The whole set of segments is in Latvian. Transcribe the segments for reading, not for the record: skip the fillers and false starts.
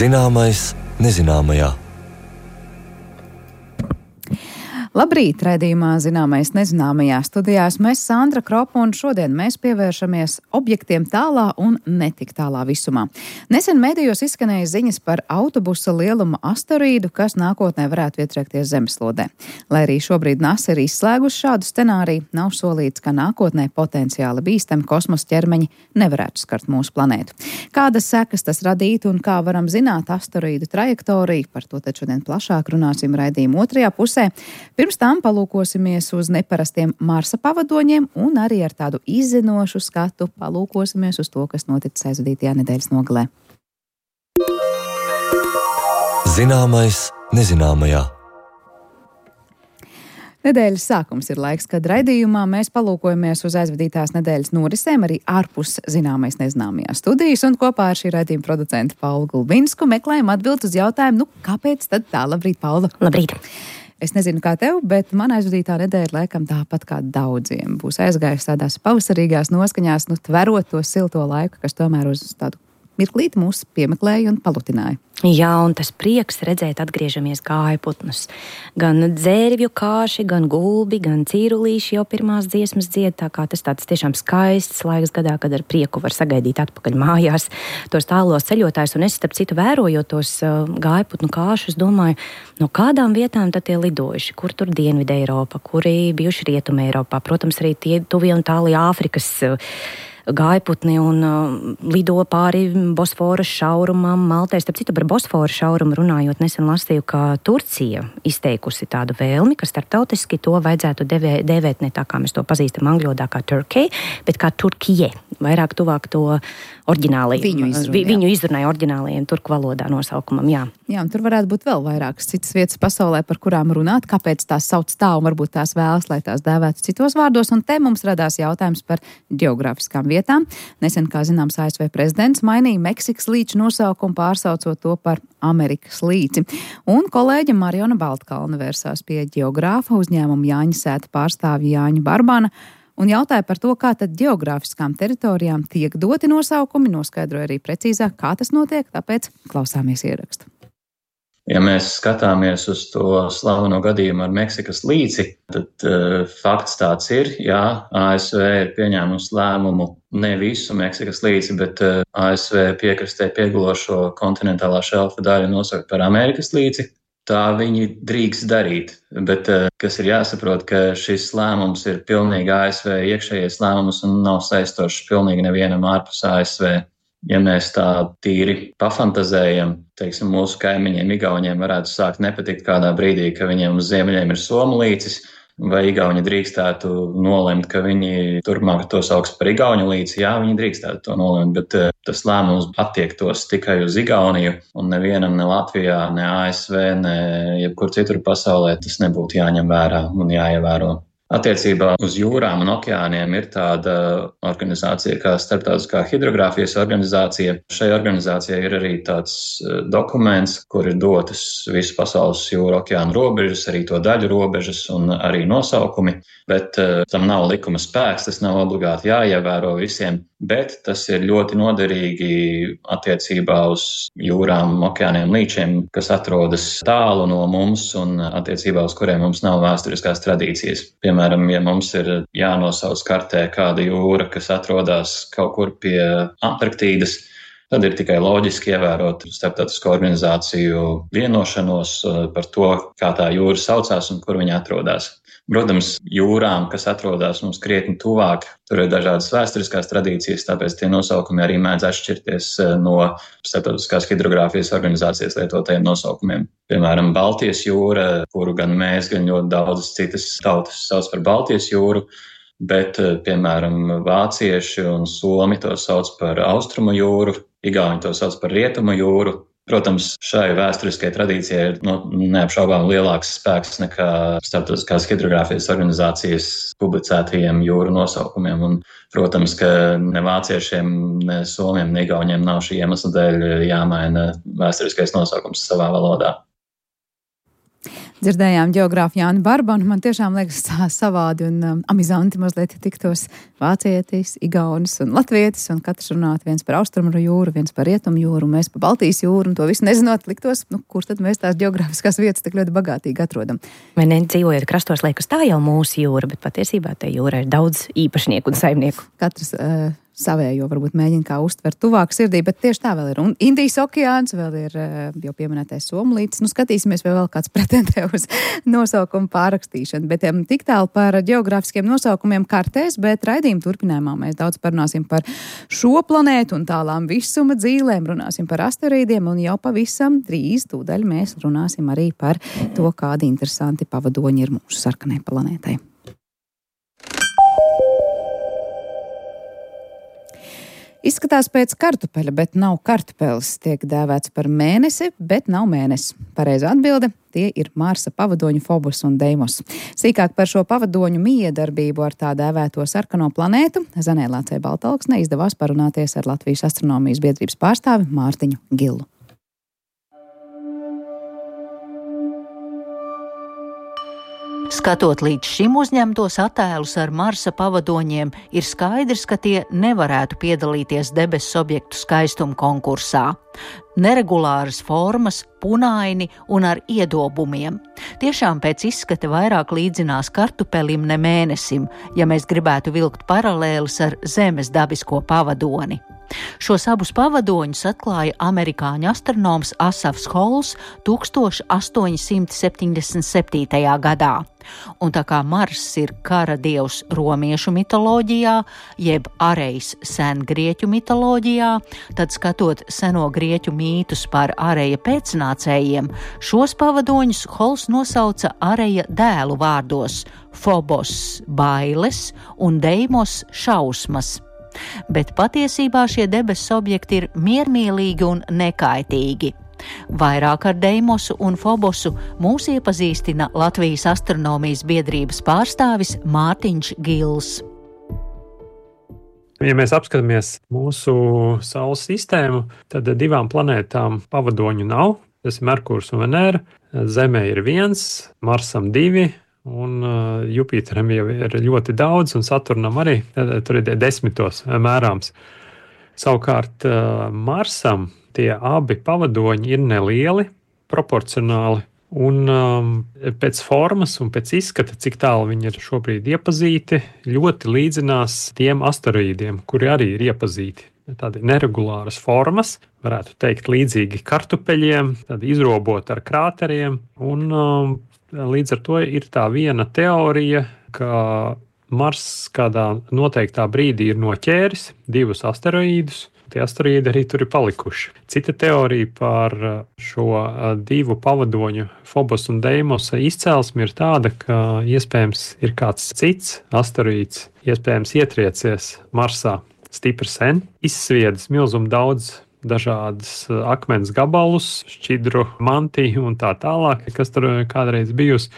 Zināmais nezināmajā. Labrīt, raidījumā Zināmais nezināmajā studijā esmu Sandra Kropa, un šodien mēs pievēršamies objektiem tālā un netik tālā visumā. Nesen medijos izskanēja ziņas par autobusa lieluma asteroīdu, kas nākotnē varētu ietriekties zemeslodē. Lai arī šobrīd NASA ir izslēgusi šādu scenāriju, nav solīts, ka nākotnē potenciāli bīstami kosmosa ķermeņi nevarētu skart mūsu planētu. Kādas sekas tas radītu un kā varam zināt asteroīdu trajektoriju, par to tad šodien plašāk runāsim raidījuma otrajā pusē. Pirms tam palūkosimies uz neparastiem Marsa pavadoņiem un arī ar tādu izzinošu skatu palūkosimies uz to, kas noticis aizvadītajā nedēļas nogalē. Zināmais nezināmajā. Nedēļas sākums ir laiks, kad raidījumā mēs palūkojamies uz aizvadītās nedēļas norisēm arī ārpus Zināmais nezināmajā studijas, un kopā ar šī raidījuma producentu Paulu Gulbinsku meklējam atbildi uz jautājumu, kāpēc tad tā? Labrīt, Paula! Labrīt! Es nezinu, kā tev, bet man aizvadītā nedēļa laikam tāpat kā daudziem būs aizgājusi tādās pavasarīgās noskaņās, tverot to silto laiku, kas tomēr uz tādu mirklīti mūs piemeklēja un palutināja. Jā, un tas prieks redzēt atgriežamies gājputnus. Gan dzērvju kāši, gan gulbi, gan cīrulīši jau pirmās dziesmas dzied, tā kā tas tāds tiešām skaists laiks gadā, kad ar prieku var sagaidīt atpakaļ mājās tos tālos ceļotājus. Un es, starp citu, vērojot tos gājputnu kāšus, domāju, no kādām vietām tad tie lidojuši, kur tur Dienvidē Eiropa, kuri bijuši Rietumē Eiropā, protams, arī tie tuvie un tālie Āfrikas gājputni un lido pāri Bosforas šaurumam, Maltai. Starp citu, par Bosforas šaurumu runājot, nesen lasīju, ka Turcija izteikusi tādu vēlmi, ka starptautiski to vajadzētu dēvēt ne tā, kā mēs to pazīstam angļu valodā kā Turkey, bet kā Turkije, vairāk tuvāk to oriģinālajiem, viņu izrunāja oriģinālajiem turku valodā nosaukumam, jā. Jā, un tur varētu būt vēl vairākas citas vietas pasaulē, par kurām runāt, kāpēc tās sauc tā, un varbūt tās vēlas, lai tās dēvētu citos vārdos, un te mums radās jautājums par geogrāfiskām vietām. Nesen, kā zināms, ASV prezidents mainīja Meksikas līča nosaukumu, pārsaucot to par Amerikas līci. Un kolēģe Mariona Baltkalne vērsās pie geogrāfa uzņēmuma Jāņa sēta pārstāvja Jāņa Barbana un jautāja par to, kā tad geogrāfiskām teritorijām tiek doti nosaukumi, noskaidroja arī precīzāk, kā tas notiek, tāpēc klausāmies ierakstu. Ja mēs skatāmies uz to slaveno gadījumu ar Meksikas līci, tad fakts tāds ir, jā, ASV ir pieņēmusi lēmumu ne visu Meksikas līci, bet ASV piekrastē piegulošo kontinentālā šelfa daļu nosaukt par Amerikas līci. Tā viņi drīkst darīt, bet kas ir jāsaprot, ka šis lēmums ir pilnīgi ASV iekšējais lēmums un nav saistošs pilnīgi nevienam ārpus ASV. Ja mēs tā tīri pafantazējam, teiksim, mūsu kaimiņiem Igauņiem varētu sākt nepatikt kādā brīdī, ka viņiem uz ziemeļiem ir Somu līcis, vai Igauņi drīkstētu nolemt, ka viņi turpmāk to sauks par Igauņu līci. Jā, viņi drīkstētu to nolemt, bet tas lēmums attiektos tikai uz Igauniju, un nevienam ne Latvijā, ne ASV, ne jebkur citur pasaulē tas nebūtu jāņem vērā un jāievēro. Attiecībā uz jūrām un okeāniem ir tāda organizācija kā Starptautiskā hidrogrāfijas organizācija. Šai organizācijai ir arī tāds dokuments, kur ir dotas visu pasaules jūru okeānu robežas, arī to daļu robežas un arī nosaukumi, bet tam nav likuma spēks, tas nav obligāti jāievēro visiem, bet tas ir ļoti noderīgi attiecībā uz jūrām, okeāniem, līčiem, kas atrodas tālu no mums un attiecībā uz kuriem mums nav vēsturiskās tradīcijas. Piemēram, ja mums ir jānosauc kartē kāda jūra, kas atrodas kaut kur pie Antarktīdas, tad ir tikai loģiski ievērot starptautisko organizāciju vienošanos par to, kā tā jūra saucās un kur viņa atrodas. Protams, jūrām, kas atrodas mums krietni tuvāk, tur ir dažādas vēsturiskās tradīcijas, tāpēc tie nosaukumi arī mēdz atšķirties no Starptautiskās hidrogrāfijas organizācijas lietotajiem nosaukumiem. Piemēram, Baltijas jūra, kuru gan mēs, gan ļoti daudzas citas tautas sauc par Baltijas jūru, bet, piemēram, vācieši un somi to sauc par Austrumu jūru, igauņi to sauc par Rietumu jūru. Protams, šai vēsturiskai tradīcijai ir neapšaubām lielāks spēks nekā Starptautiskās hidrogrāfijas organizācijas publicētajiem jūru nosaukumiem. Un, protams, ka ne vāciešiem, ne somiem, ne igauņiem nav šī iemesla dēļ jāmaina vēsturiskais nosaukums savā valodā. Dzirdējām ģeogrāfu Jāni Barbanu, man tiešām liekas tā savādi un amizanti mazliet tiktos vācietis, igaunis un latvietis, un katrs runāt viens par austrumu jūru, viens par rietumu jūru, un mēs par Baltijas jūru, un to visu nezinot liktos, kur tad mēs tās ģeogrāfiskās vietas tik ļoti bagātīgi atrodam. Vai ne, dzīvojot krastos, liekas, tā jau mūsu jūra, bet patiesībā te jūra ir daudz īpašnieku un saimnieku. Katrs savējo varbūt mēģina kā uztvert tuvāk sirdī, bet tieši tā vēl ir. Un Indijas okeāns, vēl ir jau pieminētais Somlītis. Skatīsimies, vai vēl kāds pretendē uz nosaukumu pārrakstīšanu. Bet tik tālu par ģeogrāfiskiem nosaukumiem kartēs, bet raidījuma turpinājumā mēs daudz parunāsim par šo planētu un tālām visuma dzīlēm, runāsim par asteroīdiem un jau pavisam drīz tūdaļ mēs runāsim arī par to, kādi interesanti pavadoņi ir mūsu sarkanai planētai. Izskatās pēc kartupeļa, bet nav kartupeļs. Tiek dēvēts par mēnesi, bet nav mēnesis. Pareizā atbilde – tie ir Marsa pavadoņu Phobos un Deimos. Sīkāk par šo pavadoņu miedarbību ar tā dēvēto sarkano planētu Zanē Lācei Baltalksnei izdevās parunāties ar Latvijas astronomijas biedrības pārstāvi Mārtiņu Gilu. Skatot līdz šim uzņemtos attēlus ar Marsa pavadoņiem, ir skaidrs, ka tie nevarētu piedalīties debesu objektu skaistuma konkursā. Neregulāras formas, punaini un ar iedobumiem. Tiešām pēc izskata vairāk līdzinās kartupelim ne mēnesim, ja mēs gribētu vilkt paralēlis ar Zemes dabisko pavadoni. Šos abus pavadoņus atklāja amerikāņu astronoms Asafs Halls 1877. gadā. Un tā kā Marss ir kara dievs romiešu mitoloģijā, jeb Arejs sengrieķu mitoloģijā, tad skatot seno grieķu mītus par Areja pēcnācējiem, šos pavadoņus Halls nosauca Areja dēlu vārdos – Phobos bailes un Deimos šausmas. Bet patiesībā šie debesu objekti ir miermīlīgi un nekaitīgi. Vairāk ar Deimosu un Phobosu mūs iepazīstina Latvijas astronomijas biedrības pārstāvis Mārtiņš Gils. Ja mēs apskatāmies mūsu Saules sistēmu, tad divām planētām pavadoņu nav. Tas ir Merkurs un Venēra. Zemē ir 1, Marsam 2. Un Jupiteram jau ir ļoti daudz, un Saturnam arī tur ir 10 mērāms. Savukārt Marsam tie abi pavadoņi ir nelieli, proporcionāli, un pēc formas un pēc izskata, cik tālu viņi ir šobrīd iepazīti, ļoti līdzinās tiem asteroīdiem, kuri arī ir iepazīti. Tādi neregulāras formas, varētu teikt līdzīgi kartupeļiem, tādi izrobot ar krāteriem, un līdz ar to ir tā viena teorija, ka Mars kādā noteiktā brīdī ir noķēris 2 asteroīdus. Tie asteroīdi arī tur ir palikuši. Cita teorija par šo 2 pavadoņu Phobos un Deimosa izcelsmi ir tāda, ka iespējams ir kāds cits asteroīds, iespējams ietriecies Marsā stipri sen, izsviedis milzumu daudz dažādas akmens gabalus, šķidru mantiju un tā tālāk, kas tur kādreiz bijusi.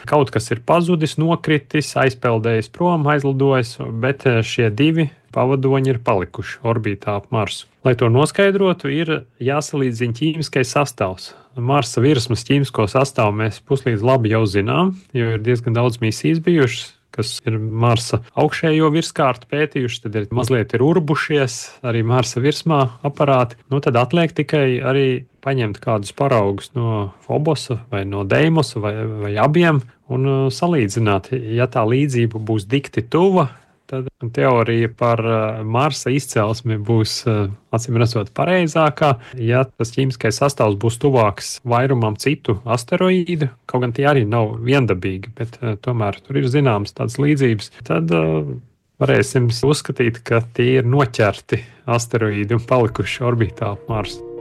Kaut kas ir pazudis, nokritis, aizpeldējis prom, aizlidojis, bet šie 2 pavadoņi ir palikuši orbītā ap Marsu. Lai to noskaidrotu, ir jāsalīdzina ķīmiskais sastāvs. Marsa virsmas ķīmisko sastāvu mēs puslīdz labi jau zinām, jo ir diezgan daudz misijas bijušas, kas ir Marsa augšējo virskārtu pētījuši, tad ir mazliet urbušies arī Marsa virsmā aparāti. Tad atliek tikai arī paņemt kādus paraugus no Phobosa vai no Deimosa vai abiem un salīdzināt. Ja tā līdzība būs dikti tuva, tad teorija par Marsa izcelsmi būs acīm redzot pareizākā. Ja tas ķīmiskais sastāvs būs tuvāks vairumam citu asteroīdu, kaut gan tie arī nav viendabīgi, bet tomēr tur ir zināmas tādas līdzības, tad varēsim uzskatīt, ka tie ir noķerti asteroīdi un palikuši orbītā ap Marsu.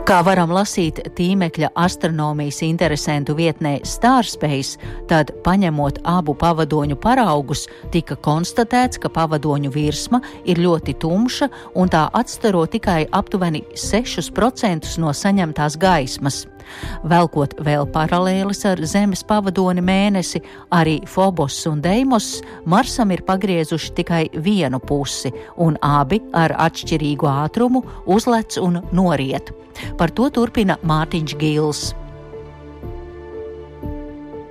Kā varam lasīt tīmekļa astronomijas interesentu vietnē Starspace, tad, paņemot abu pavadoņu paraugus, tika konstatēts, ka pavadoņu virsma ir ļoti tumša un tā atstaro tikai aptuveni 6% no saņemtās gaismas. Velkot vēl paralēlis ar Zemes pavadoni Mēnesi, arī Phobos un Deimos Marsam ir pagriezuši tikai vienu pusi, un abi ar atšķirīgu ātrumu uzlec un noriet. Par to turpina Mārtiņš Gils.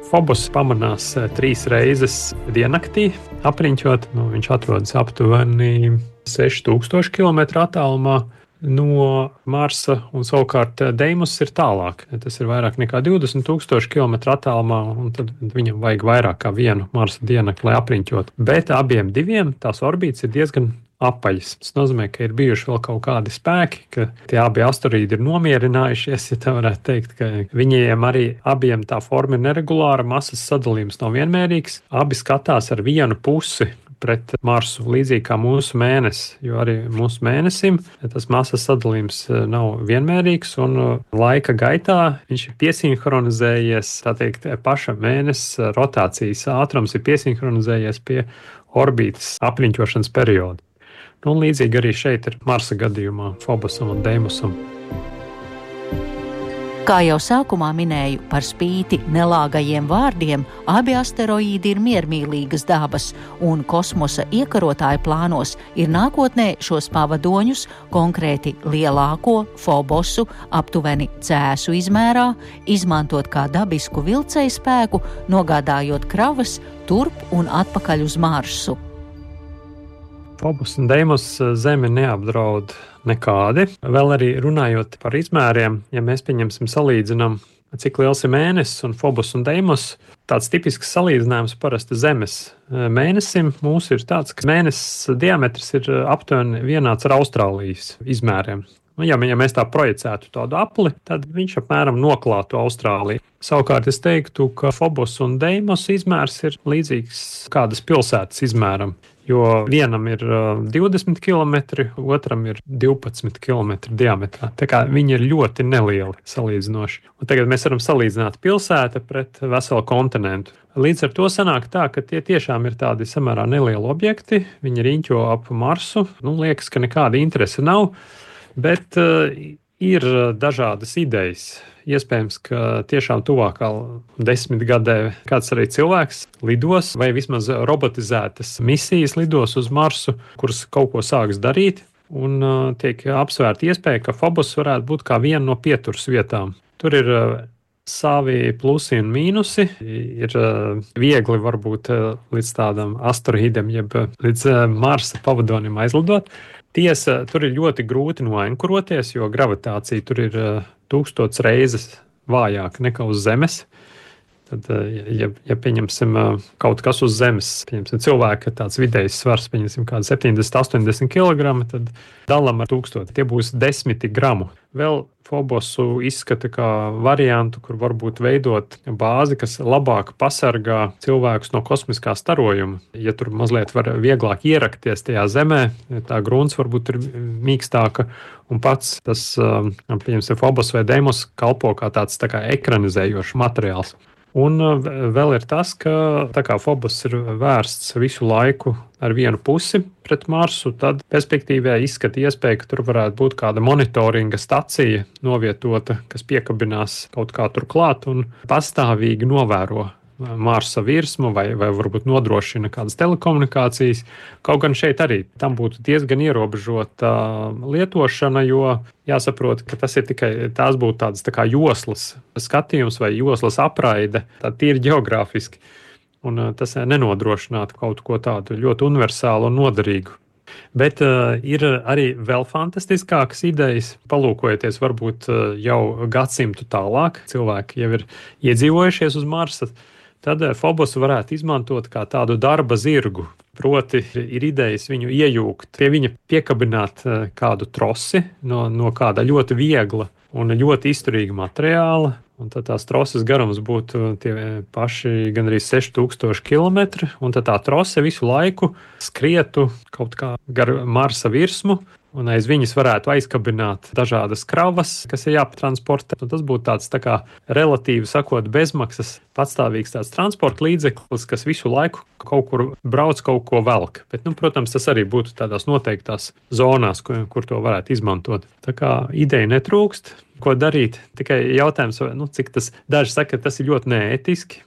Phobos pamanās 3 reizes diennaktī apriņķot. Viņš atrodas aptuveni 6000 km attālumā no Marsa, un savukārt Deimos ir tālāk. Tas ir vairāk nekā 20,000 km attālumā, un tad viņam vajag vairāk kā vienu Marsa diennakti, lai apriņķot. Bet abiem diviem tās orbītas ir diezgan apaļas. Tas nozīmē, ka ir bijuši vēl kaut kādi spēki, ka tie abi asteroīdi ir nomierinājušies, ja tā varētu teikt, ka viņiem arī abiem tā forma ir neregulāra, masas sadalījums nav vienmērīgs. Abi skatās ar vienu pusi pret Marsu, līdzīgi kā mūsu mēnesis, jo arī mūsu mēnesim tas masas sadalījums nav vienmērīgs, un laika gaitā viņš ir piesinhronizējies, tā teikt, paša mēnesis rotācijas ātrums ir piesinhronizējies pie orbītas apriņķošanas perioda. Un līdzīgi arī šeit ir Marsa gadījumā Phobosam un Deimosam. Kā jau sākumā minēju, par spīti nelāgajiem vārdiem, abi asteroīdi ir miermīlīgas dabas, un kosmosa iekarotāju plānos ir nākotnē šos pavadoņus, konkrēti lielāko Phobosu, aptuveni cēsu izmērā, izmantot kā dabisku vilcēju spēku, nogādājot kravas turp un atpakaļ uz Marsu. Phobos un Deimos Zemi neapdraud nekādi. Vēl arī runājot par izmēriem, ja mēs salīdzinām, cik liels ir mēnesis un Phobos un Deimos, tāds tipisks salīdzinājums parasti Zemes mēnesim mūsu ir tāds, ka mēnesis diametrs ir aptuveni vienāds ar Austrālijas izmēriem. Ja mēs tā projicētu tādu apli, tad viņš apmēram noklātu Austrāliju. Savukārt es teiktu, ka Phobos un Deimos izmērs ir līdzīgs kādas pilsētas izmēram. Jo vienam ir 20 km, otram ir 12 km diametrā. Tā kā viņi ir ļoti nelieli salīdzinoši. Un tagad mēs varam salīdzināt pilsētu pret veselu kontinentu. Līdz ar to sanāk tā, ka tie tiešām ir tādi samērā nelieli objekti. Viņi riņķo ap Marsu. Liekas, ka nekāda interese nav, bet ir dažādas idejas. Iespējams, ka tiešām tuvākā 10 gadē kāds arī cilvēks lidos vai vismaz robotizētas misijas lidos uz Marsu, kuras kaut ko sāks darīt, un tiek apsvērta iespēja, ka Phobos varētu būt kā viena no pieturas vietām. Tur ir savi plusi un mīnusi. Ir viegli varbūt līdz tādam asteroīdam, jeb līdz Marsa pavadonim aizlidot. Tiesa, tur ir ļoti grūti noenkuroties, jo gravitācija tur ir 1000 reizes vājāka nekā uz Zemes. Tad, ja pieņemsim kaut kas uz Zemes, pieņemsim cilvēka tāds vidējs svars, pieņemsim kādu 70-80 kg, tad dalam ar 1000. Tie būs 10 gramu. Vēl Phobosu izskata kā variantu, kur varbūt veidot bāzi, kas labāk pasargā cilvēkus no kosmiskā starojuma. Ja tur mazliet var vieglāk ierakties tajā Zemē, tā grunts varbūt ir mīkstāka, un pats tas, pieņemsim, Phobos vai Deimos kalpo kā tāds tā kā ekranizējošs materiāls. Un vēl ir tas, ka tā kā Phobos ir vērsts visu laiku ar vienu pusi pret Marsu, tad perspektīvā izskata iespēja, ka tur varētu būt kāda monitoringa stacija novietota, kas piekabinās kaut kā tur klāt un pastāvīgi novēro Marsa virsmu vai varbūt nodrošina kādas telekomunikācijas. Kaut gan šeit arī tam būtu diezgan ierobežota lietošana, jo jāsaprot, ka tas ir tās būtu tādas tā kā joslas skatījums vai joslas apraide, tā tīri geogrāfiski. Un tas nenodrošinātu kaut ko tādu ļoti universālu un noderīgu. Bet ir arī vēl fantastiskākas idejas. Palūkojieties, varbūt jau gadsimtu tālāk, cilvēki jau ir iedzīvojušies uz Marsa. Tad Phobos varētu izmantot kā tādu darba zirgu. Proti, ir idejas viņu iejūgt, pie viņa piekabināt kādu trosi no kāda ļoti viegla un ļoti izturīga materiāla. Un tad tās troses garums būtu tie paši gandrīz 6000 km, un tad tā trose visu laiku skrietu kaut kā gar Marsa virsmu, un aiz viņas varētu aizkabināt dažādas kravas, kas ir jāpatransportē. Tas būtu tāds tā kā relatīvi sakot bezmaksas patstāvīgs tāds transporta līdzeklis, kas visu laiku kaut kur brauc, kaut ko velk. Bet, protams, tas arī būtu tādās noteiktās zonās, kur to varētu izmantot. Tā kā ideja netrūkst. Ko darīt? Tikai jautājums, cik tas daži saka, ka tas ir ļoti neētiski.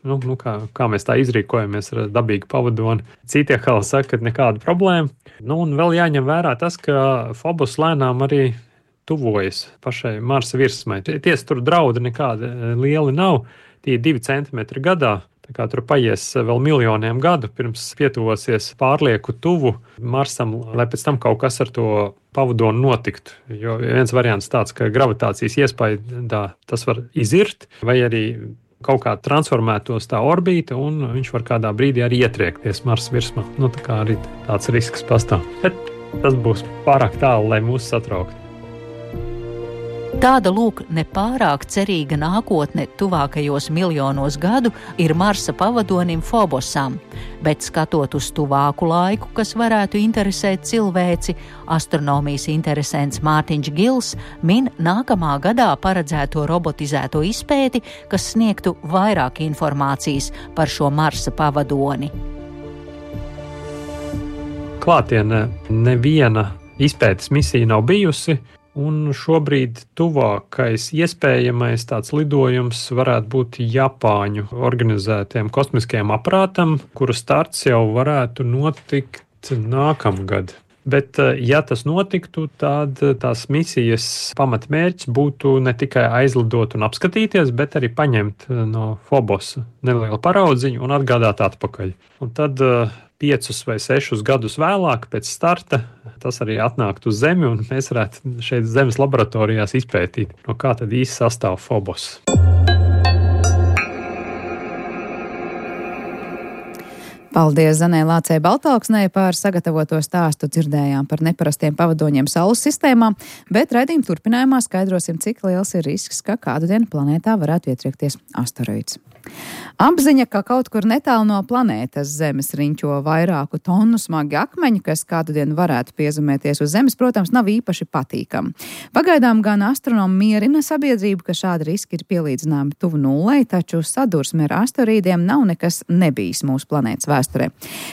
Kā mēs tā izrīkojamies ar dabīgu pavadoni. Citi atkal saka, ka nekāda problēma. Un vēl jāņem vērā tas, ka Phobos lēnām arī tuvojas pašai Marsa virsmai. Tiesa tur draudi nekādi lieli nav. Tie 2 centimetri gadā, Tā kā tur paies vēl miljoniem gadu, pirms pietuvosies pārlieku tuvu Marsam, lai pēc tam kaut kas ar to pavadoni notiktu. Jo viens variants tāds, ka gravitācijas iespaidā tas var izirt, vai arī kaut kā transformētos tā orbīta, un viņš var kādā brīdī arī ietriekties Marsa virsmā. Tā kā arī tāds risks pastāv. Bet tas būs pārāk tālu, lai mūs satrauktu. Tāda lūk nepārāk cerīga nākotne tuvākajos miljonos gadu ir Marsa pavadonim Phobosam, bet skatot uz tuvāku laiku, kas varētu interesēt cilvēci, astronomijas interesants Mārtiņš Gils min nākamā gadā paredzēto robotizēto izpēti, kas sniegtu vairāk informācijas par šo Marsa pavadoni. Klātienē neviena izpētes misija nav bijusi, un šobrīd tuvākais iespējamais tāds lidojums varētu būt Japāņu organizētiem kosmiskajam aparātam, kuru starts jau varētu notikt nākamgad. Bet, ja tas notiktu, tad tās misijas pamatmērķis būtu ne tikai aizlidot un apskatīties, bet arī paņemt no Phobosa nelielu paraudziņu un atgādāt atpakaļ. Un tad 5 vai 6 gadus vēlāk, pēc starta, tas arī atnāktu uz Zemi, un mēs varētu šeit Zemes laboratorijās izpētīt, no kā tad īsti sastāv Phobos. Paldies Zanē Lācei Baltāksnei par sagatavoto stāstu. Dzirdējām par neparastiem pavadoņiem Saules sistēmā, bet raidījuma turpinājumā skaidrosim, cik liels ir risks, ka kādu dienu planētā varētu ietriekties asteroīds. Apziņa, ka kaut kur netālu no planētas Zemes riņķo vairāku tonu smagi akmeņi, kas kādu dienu varētu piezemēties uz Zemes, protams, nav īpaši patīkami. Pagaidām gan astronomi mierina sabiedrību, ka šādi riski ir pielīdzināmi tuvu nullei, taču sadursme ar asteroīdiem nav nekas nebijis mūsu planētas vēsturē.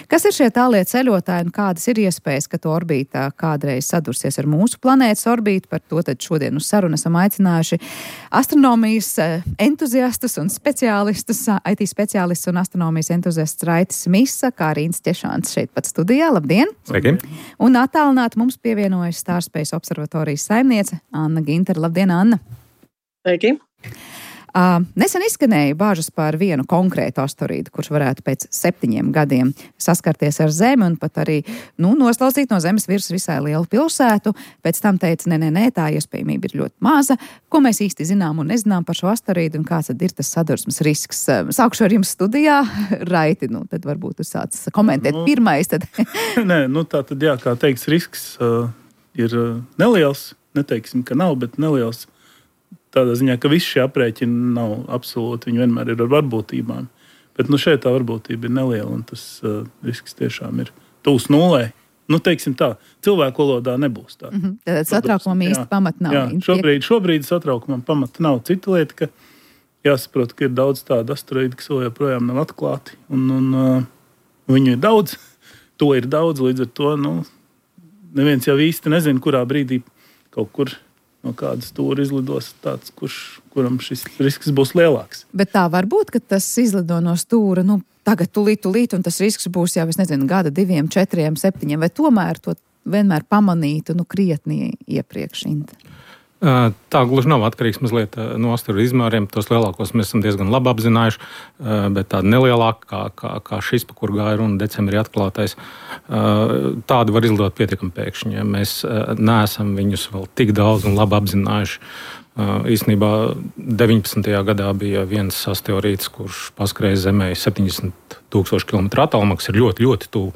Kas ir šie tālie ceļotāji un kādas ir iespējas, ka to orbītā kādreiz sadursies ar mūsu planētas orbītu? Par to tad šodien uz sarunu esam aicinājuši astronomijas entuziastus un speciālistus, IT speciālists un astronomijas entuziasts Raitis Misa, kā arī Ints Ķešāns šeit pat studijā. Labdien! Sveiki! Un attālināti mums pievienojas Starspace observatorijas saimniece Anna Gintere. Labdien, Anna! Sveiki! Nesen izskanēja bāžas par vienu konkrētu asteroīdu, kurš varētu pēc 7 gadiem saskarties ar Zemi un pat arī noslaucīt no Zemes virsmas visai lielu pilsētu. Pēc tam teica, nē, tā iespējamība ir ļoti maza. Ko mēs īsti zinām un nezinām par šo asteroīdu un kāds tad ir tas sadursmes risks? Sākšu ar jums studijā. Raiti, tad varbūt jūs sāc komentēt pirmais. Tad. Nē, tā tad jā, kā teiks, risks ir neliels. Neteiksim, ka nav, bet neliels. Tādā ziņā, ka visi šie aprēķini nav absolūti, viņi vienmēr ir ar varbūtībām. Bet šeit tā varbūtība ir neliela, un tas risks tiešām ir tuvs nullei. Teiksim tā, cilvēku valodā nebūs tā. Tātad satraukumam īsti pamata nav. Jā, šobrīd satraukumam pamata nav. Cita lieta, ka jāsaprot, ka ir daudz tādu asteroīdu, kas vēl joprojām nav atklāti, un viņu ir daudz. To ir daudz, līdz ar to, neviens jau īsti nezina, kurā brīdī kaut kur no kādas stūra izlidos tāds, kuram šis risks būs lielāks. Bet tā var būt, ka tas izlido no stūra, tagad tulīt, un tas risks būs jau, gada 2, 4, 7, vai tomēr to vienmēr pamanītu, krietni iepriekš. Tā gluži nav atkarīgs mazliet no asteroīdu izmēriem. Tos lielākos mēs esam diezgan labi apzinājuši, bet tāda nelielāka, kā šis, pa kur gāja runa decembrī atklātais, tādu var izlidot pietiekami pēkšņi. Ja mēs neesam viņus vēl tik daudz un labi apzinājuši. Īstenībā 19. gadā bija viens asteroīds, kurš paskrēja Zemē 70,000 km attālumā, kas ir ļoti, ļoti tuvu.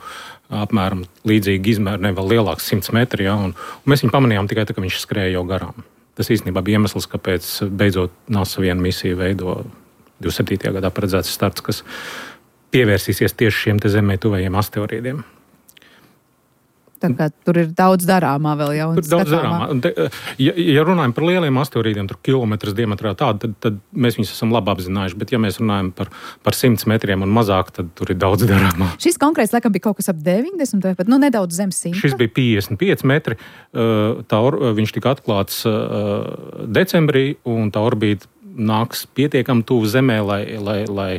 Apmēram līdzīgi izmēri, ne vēl lielāks 100 metri, ja, un mēs viņu pamanījām tikai tā, ka viņš skrēja jau garām. Tas īstenībā bija iemesls, kāpēc beidzot NASA vienu misiju veido 27. gadā paredzēts starts, kas pievērsīsies tieši šiem te Zemē tuvējiem asteroīdiem. Tā kā tur ir daudz darāmā vēl jau. Tur daudz darāmā. Ja runājam par lieliem asteroīdiem, tur kilometras diametrā tādu, tad mēs viņus esam labi apzinājuši. Bet ja mēs runājam par 100 metriem un mazāk, tad tur ir daudz darāmā. Šis konkrēts laikam bija kaut kas ap 90 vai pat nedaudz zem 100. Šis bija 55 metri. Viņš tika atklāts decembrī, un tā orbīta nāks pietiekami tuvu Zemē, lai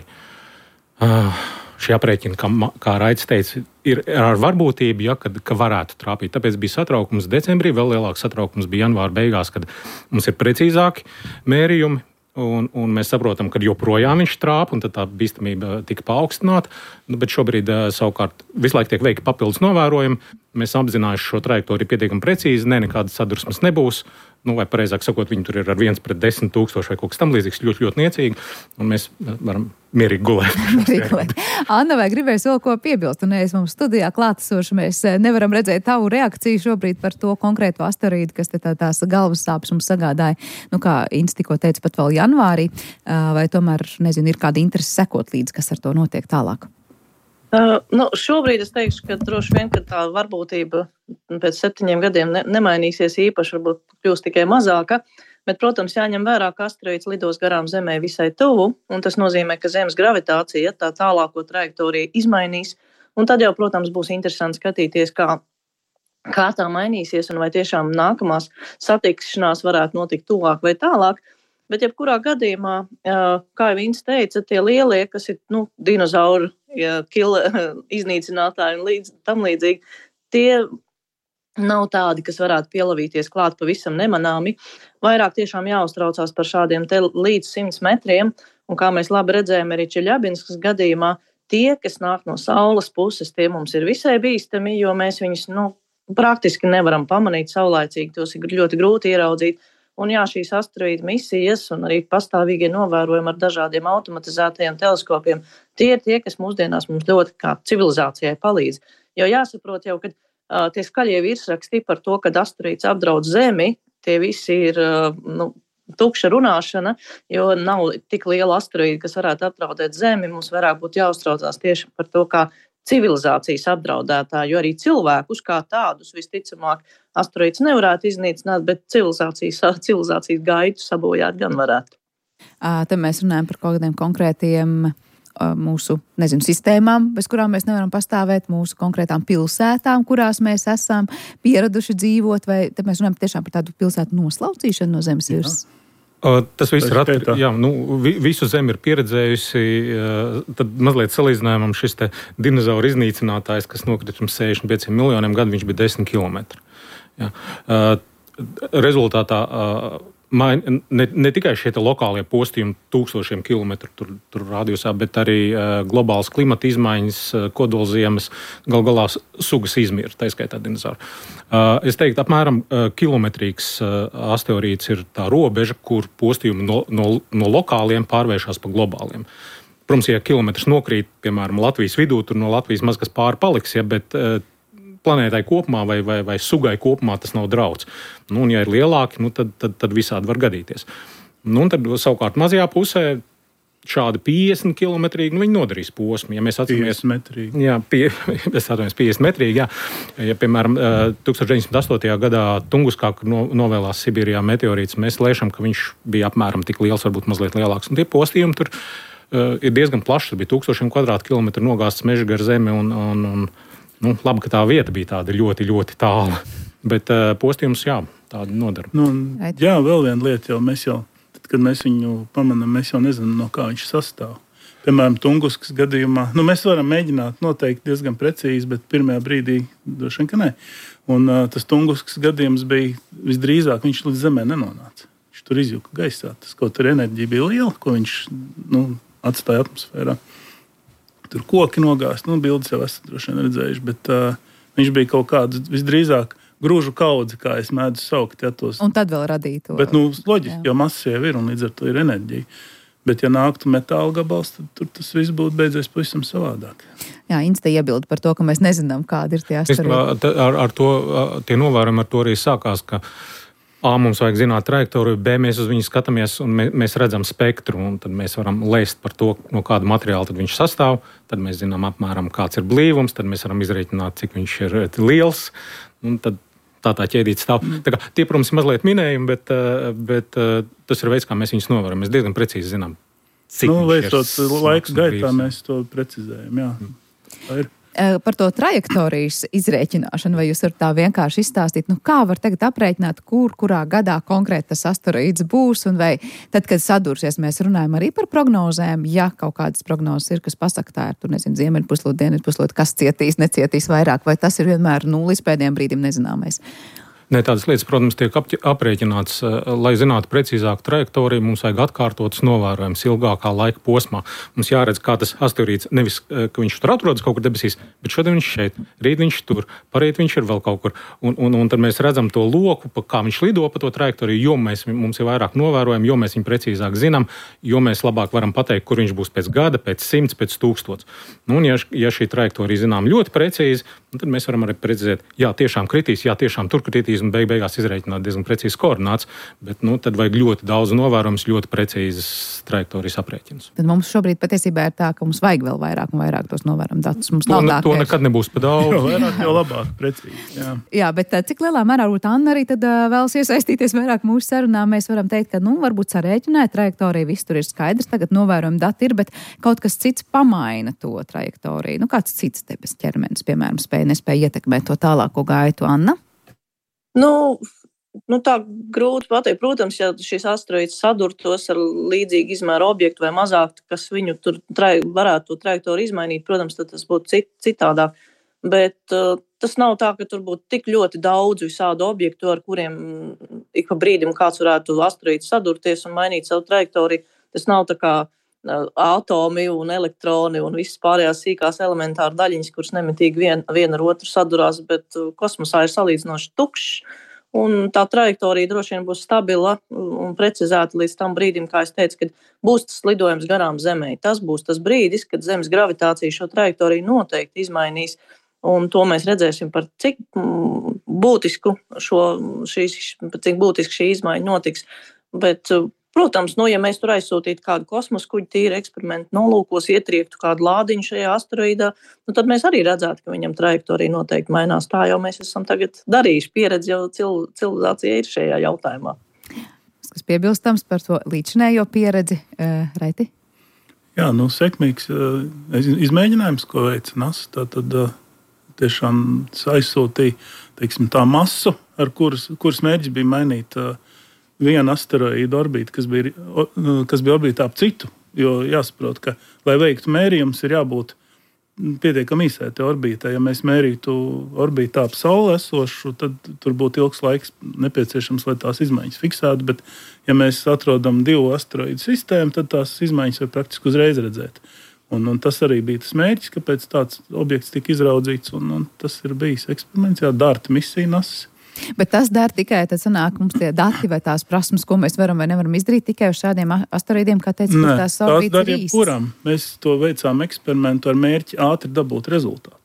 šie aprēķini, kā Raitis teica, ir ar varbūtību, ja, ka varētu trāpīt. Tāpēc bija satraukums decembrī, vēl lielāks satraukums bija janvāra beigās, kad mums ir precīzāki mērījumi. un mēs saprotam, ka joprojām viņš trāp, un tad tā bīstamība tika paaugstināta. Bet šobrīd savukārt visu laiku tiek veikti papildus novērojumi. Mēs apzinājuši šo trajektoriju pietiekami precīzi, nekādas sadursmes nebūs. Vai pareizāk sakot, viņi tur ir ar 1/10 000 vai kaut kas tam līdzīgs, ļoti, ļoti niecīgi, un mēs varam mierīgi gulēt. Anna, vai gribēs vēl ko piebilst? Un es mums studijā klātesoši, mēs nevaram redzēt tavu reakciju šobrīd par to konkrēto asteroīdu, kas te tās galvas sāpes mums sagādāja, kā Inns tikko teica, pat vēl janvārī, vai tomēr, nezinu, ir kāda interese sekot līdz, kas ar to notiek tālāk? Šobrīd es teikšu, ka droši vien, ka tā varbūtība pēc 7 gadiem nemainīsies īpaši, varbūt kļūs tikai mazāka, bet, protams, jāņem vērā, ka asteroīds lidos garām Zemē visai tuvu, un tas nozīmē, ka Zemes gravitācija tā tālāko trajektoriju izmainīs, un tad jau, protams, būs interesanti skatīties, kā tā mainīsies, un vai tiešām nākamās satikšanās varētu notikt tuvāk vai tālāk. Bet jebkurā gadījumā, kā jau Inns teica, tie lielie, kas ir dinozauru iznīcinātāji un tam līdzīgi, tie nav tādi, kas varētu pielavīties klāt pavisam nemanāmi. Vairāk tiešām jāuztraucās par šādiem te līdz 100 metriem, un kā mēs labi redzējām arī Čeļabinskas gadījumā, tie, kas nāk no Saules puses, tie mums ir visai bīstami, jo mēs viņus praktiski nevaram pamanīt saulaicīgi, tos ir ļoti grūti ieraudzīt. Un jā, šīs asteroīdu misijas un arī pastāvīgie novērojumi ar dažādiem automatizētajiem teleskopiem, tie ir tie, kas mūsdienās mums ļoti kā civilizācijai palīdz. Jo jāsaprot jau, ka tie skaļie virsraksti par to, ka asteroīds apdraud Zemi, tie visi ir tukša runāšana, jo nav tik liela asteroīda, kas varētu apdraudēt Zemi. Mums vairāk būtu jāuztraucās tieši par to, kā civilizācijas apdraudētāji, jo arī cilvēkus kā tādus visticamāk asteroīds nevarētu iznīcināt, bet civilizācijas gaitu sabojāt gan varētu. Te mēs runājam par kaut kādiem konkrētiem mūsu, sistēmām, bez kurām mēs nevaram pastāvēt, mūsu konkrētām pilsētām, kurās mēs esam pieraduši dzīvot, vai te mēs runājam tiešām par tādu pilsētu noslaucīšanu no zemes virsmas? Tas viss ir visu Zemi ir pieredzējusi. Tad mazliet salīdzinājumam šis te dinozauru iznīcinātājs, kas nokrita pirms 65 miljoniem gadu, viņš bija 10 kilometri. Rezultātā ne tikai šie lokālie postījumi tūkstošiem kilometru tur radiusā, bet arī globālas klimata izmaiņas, kodolziemas, galā sugas izmirst, tā skaitā dinozauru. Es teiktu, apmēram kilometrīgs asteroīds ir tā robeža, kur postījumi no lokāliem pārvēršas pa globāliem. Protams, ja kilometrs nokrīt, piemēram, Latvijas vidū, tur no Latvijas maz kas pāri paliks, bet planētai kopumā vai sugai kopumā tas nav drauds. Un ja ir lielāki, tad visādi var gadīties. Un tad savukārt mazajā pusē šādi 50 kilometrīgi, viņi nodarīs posmu. Ja mēs atceramies 50 metrīgi. Jā, 50 metrīgi, jā. Ja, piemēram, 1908. gadā Tunguskā, kur novēlās Sibīrijā meteorīts, mēs lēšam, ka viņš bija apmēram tik liels, varbūt mazliet lielāks. Un tie postījumi tur ir diezgan plaši. Tur bija 1000 kvadrātkilometru nogāsts meža gar Zemi un labi, ka tā vieta bija tāda ļoti, ļoti tāla. Bet postījums, tāda nodara. Jā, vēl viena lieta jau mēs tad, kad mēs viņu pamanām, mēs jau nezinām, no kā viņš sastāv. Piemēram, Tunguskas gadījumā, mēs varam mēģināt noteikt diezgan precīzi, bet pirmajā brīdī droši vien, ka nē. Un tas Tunguskas gadījums bija visdrīzāk, viņš līdz Zemē nenonāca. Viņš tur izjuka gaisā. Tas kaut ar enerģiju bija liela, ko viņš atstāja atmosfērā. Tur koki nogāzt, bildes jau esat droši vien redzējuši, bet viņš bija kaut kāds visdrīzāk grūžu kaudzi, kā es mēdzu saukt. Un tad vēl radīja to. Bet, loģiski, jo masas jau ir un līdz ar to ir enerģija. Bet, ja nāktu metāla gabals, tad tur tas viss būtu beidzies pavisam savādāk. Jā, Inns te iebilda par to, ka mēs nezinām, kādi ir tie asteroīdi. Ar to, tie novērojumi ar to arī sākās, ka mums vajag zināt trajektoriju, B, mēs uz viņu skatāmies un mēs redzam spektru, un tad mēs varam lēst par to, no kāda materiāla tad viņš sastāv, tad mēs zinām apmēram, kāds ir blīvums, tad mēs varam izreikināt, cik viņš ir liels, un tad tā ķēdīte stāv. Tā kā, tie, protams, ir mazliet minējumi, bet tas ir veids, kā mēs viņus novērojam. Mēs diezgan precīzi zinām, cik viņš ir. Laika gaitā mēs to precizējam, jā. Tā ir. Par to trajektorijas izrēķināšanu, vai jūs varat tā vienkārši izstāstīt, kā var tagad aprēķināt, kurā gadā konkrēti tas asteroīds būs, un vai tad, kad sadursies, mēs runājam arī par prognozēm, ja kaut kādas prognozes ir, kas pasaka, tā ir, ziemeļpuslode, dienvidpuslode, kas cietīs, necietīs vairāk, vai tas ir vienmēr līdz pēdējiem brīdim nezināmais? Ne, tādas lietas, protams, tiek aprēķināts, lai zinātu precīzāku trajektoriju, mums vajag atkārtotas novērojumus ilgākā laika posmā. Mums jāredz, kā tas asteroīds, nevis, ka viņš tur atrodas kaut kur debesīs, bet šodien viņš šeit, rīt viņš tur, parīt viņš ir vēl kaut kur. Un tad mēs redzam to loku, kā viņš lido pa to trajektoriju, jo mums ir vairāk novērojumi, jo mēs viņu precīzāk zinām, jo mēs labāk varam pateikt, kur viņš būs pēc gada, pēc 100, pēc 1000. Un ja šī trajektorija zinām ļoti precīzi, tad mēs varam arī precizēt, jā, tiešām kritīs, jā, tiešām tur kritīs un beigās izreikināt diezgan precīzes koordināts, bet tad vajag ļoti daudz novērojums, ļoti precīzas trajektorijas aprēķinus. Tad mums šobrīd patiesībā ir tā, ka mums vajag vēl vairāk un vairāk tos novērojumu datus. Mums nav tā, to nekad nebūs pa daudz. Jo vairāk, jo labāk, precīzi. Jā, bet cik lielā mērā varbūt Anna arī tad vēlas iesaistīties vairāk mūsu sarunā? Mēs varam teikt, ka varbūt sarēķināt trajektoriju, viss tur ir skaidrs, tagad novērojumi dati ir, bet kaut kas cits pamaina to trajektoriju. Kāds cits debes ķermenis, piemēram, nespēja ietekmēt to tālāko gaitu, Anna? Tā grūti pateikt. Protams, ja šis asteroīds sadurtos ar līdzīgu izmēru objektu vai mazāk, kas viņu tur varētu to trajektoriju izmainīt, protams, tad tas būtu citādāk. Bet tas nav tā, ka tur būtu tik ļoti daudz visādu objektu, ar kuriem ik pa brīdim kāds varētu asteroīds sadurties un mainīt savu trajektoriju. Tas nav tā kā atomi un elektroni un visas pārējās sīkās elementāra daļiņas, kuras nemitīgi viena ar otru sadurās, bet kosmosā ir salīdzinoši tukšs. Un tā trajektorija droši vien būs stabila un precizēta līdz tam brīdim, kā es teicu, kad būs tas lidojums garām Zemei. Tas būs tas brīdis, kad Zemes gravitācija šo trajektoriju noteikti izmainīs. Un to mēs redzēsim, par cik būtisku šī izmaiņa notiks. Bet, protams, ja mēs tur aizsūtītu kādu kosmosa kuģi tīri eksperimentu nolūkos, ietriektu kādu lādiņu šajā asteroīdā, tad mēs arī redzētu, ka viņam trajektorija noteikti mainās. Tā jau mēs esam tagad darījuši. Pieredze jau civilizācija ir šajā jautājumā. Kas piebilstams par to līdzinējo pieredzi, Raiti? Jā, sekmīgs izmēģinājums, ko veica NASA. Tad tiešām aizsūtīja, tā masu, ar kuras mērķis bija mainīt vienu asteroīdu orbītu, kas bija orbītā ap citu. Jo jāsaprot, ka, lai veiktu mērījumus, ir jābūt pietiekami īsai te orbītai. Ja mēs mērītu orbītā ap Sauli esošu, tad tur būtu ilgs laiks nepieciešams, lai tās izmaiņas fiksētu. Bet, ja mēs atrodam 2 asteroīdu sistēmu, tad tās izmaiņas var praktiski uzreiz redzēt. Un tas arī bija tas mērķis, kāpēc tāds objekts tika izraudzīts. Un tas ir bijis eksperiments, DART misija NASA. Bet tas dara tikai, tad sanāk mums tie dati vai tās prasmes, ko mēs varam vai nevaram izdarīt tikai uz šādiem asteroīdiem, kā teica, ka tās orbītas ir īstas. Mēs to veicām eksperimentu ar mērķi ātri dabūt rezultātu.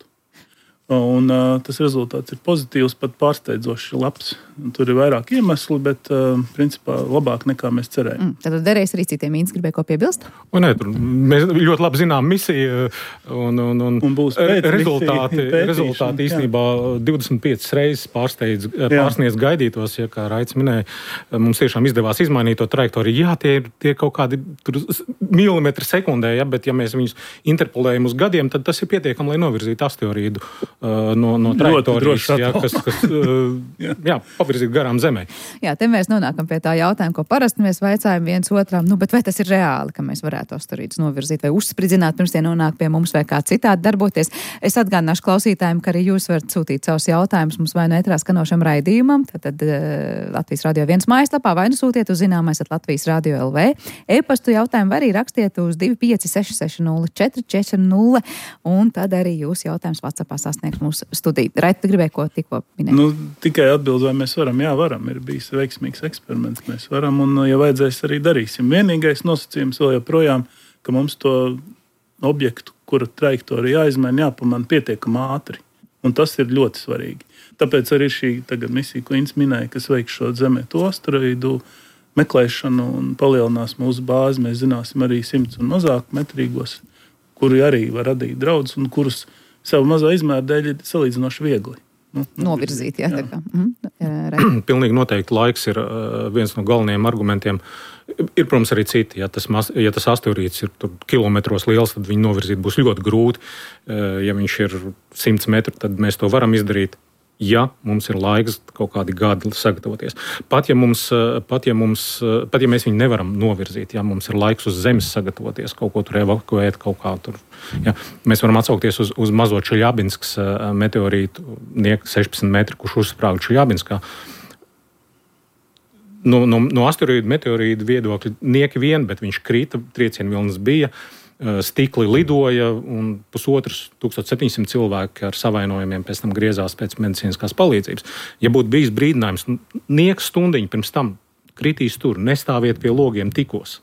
Un tas rezultāts ir pozitīvs, pat pārsteidzoši labs. Tur ir vairāk iemesli, bet principā labāk nekā mēs cerējām. Tad derēs arī citiem. Īns gribēja ko piebilst? Mēs ļoti labi zinām misiju un būs rezultāti īstenībā 25 reizes pārsniedz gaidītos, ja kā Raits minēja. Mums tiešām izdevās izmainīt to trajektoriju. Jā, tie ir kaut kādi milimetri sekundē, bet ja mēs viņus interpolējam uz gadiem, tad tas ir pietiekami, lai novirzītu asteroīdu no trajektorijas, kas pavirzīt garām Zemē. Jā, te mēs nonākam pie tā jautājuma, ko parasti mēs vaicājam viens otram, bet vai tas ir reāli, ka mēs varētu asteroīdus novirzīt vai uzspridzināt, pirms tie nonāk pie mums vai kā citādi darboties. Es atgādināšu klausītājiem, ka arī jūs varat sūtīt savus jautājumus mums vai no ēterā skanošam raidījumam, tad Latvijas Radio 1 mājaslapā vai nu sūtiet uz zināmais@Latvijas Radio LV. E-pastu jautājumu var arī rakstiet uz 25660 un tad arī jūs jautājums WhatsAppā sasniegt mūsu studiju. Raita, tu gribēji ko tikko minēt? Tikai atbild, vai mēs varam. Jā, varam. Ir bijis veiksmīgs eksperiments. Mēs varam un, ja vajadzēs, arī darīsim. Vienīgais nosacījums vēl joprojām, ka mums to objektu, kura trajektorija jāizmaina, jāpamana pietiekami ātri. Un tas ir ļoti svarīgi. Tāpēc arī šī misija, ko Inns minēja, kas veiks šo Zemē to asteroīdu meklēšanu un palielinās mūsu bāzi, mēs zināsim arī 100 un mazāk metrīgos, kuri arī var radīt draudus un kurus savu mazā izmēra dēļ ir salīdzinoši viegli novirzīt. Jā. Pilnīgi noteikti laiks ir viens no galvenajiem argumentiem. Ir, protams, arī citi. Ja tas asteroīds ir kilometros liels, tad viņu novirzīt būs ļoti grūti. Ja viņš ir 100 metru, tad mēs to varam izdarīt. Ja mums ir laiks kaut kādi gadi sagatavoties. Pat ja mēs viņu nevaram novirzīt, ja mums ir laiks uz Zemes sagatavoties, kaut ko tur evakuēt, kaut kā tur. Ja, mēs varam atsaukties uz mazo Čeļabinskas meteorītu 16 metru, kurš uzsprāga Čeļabinskā. No asteroīdu, meteorīdu viedokļa nieki vien, bet viņš krita, triecienu vilnas bija, stikli lidoja un 1700 cilvēki ar savainojumiem pēc tam griezās pēc medicīniskās palīdzības. Ja būtu bijis brīdinājums, nieks stundiņu pirms tam kritīs tur, nestāviet pie logiem tikos,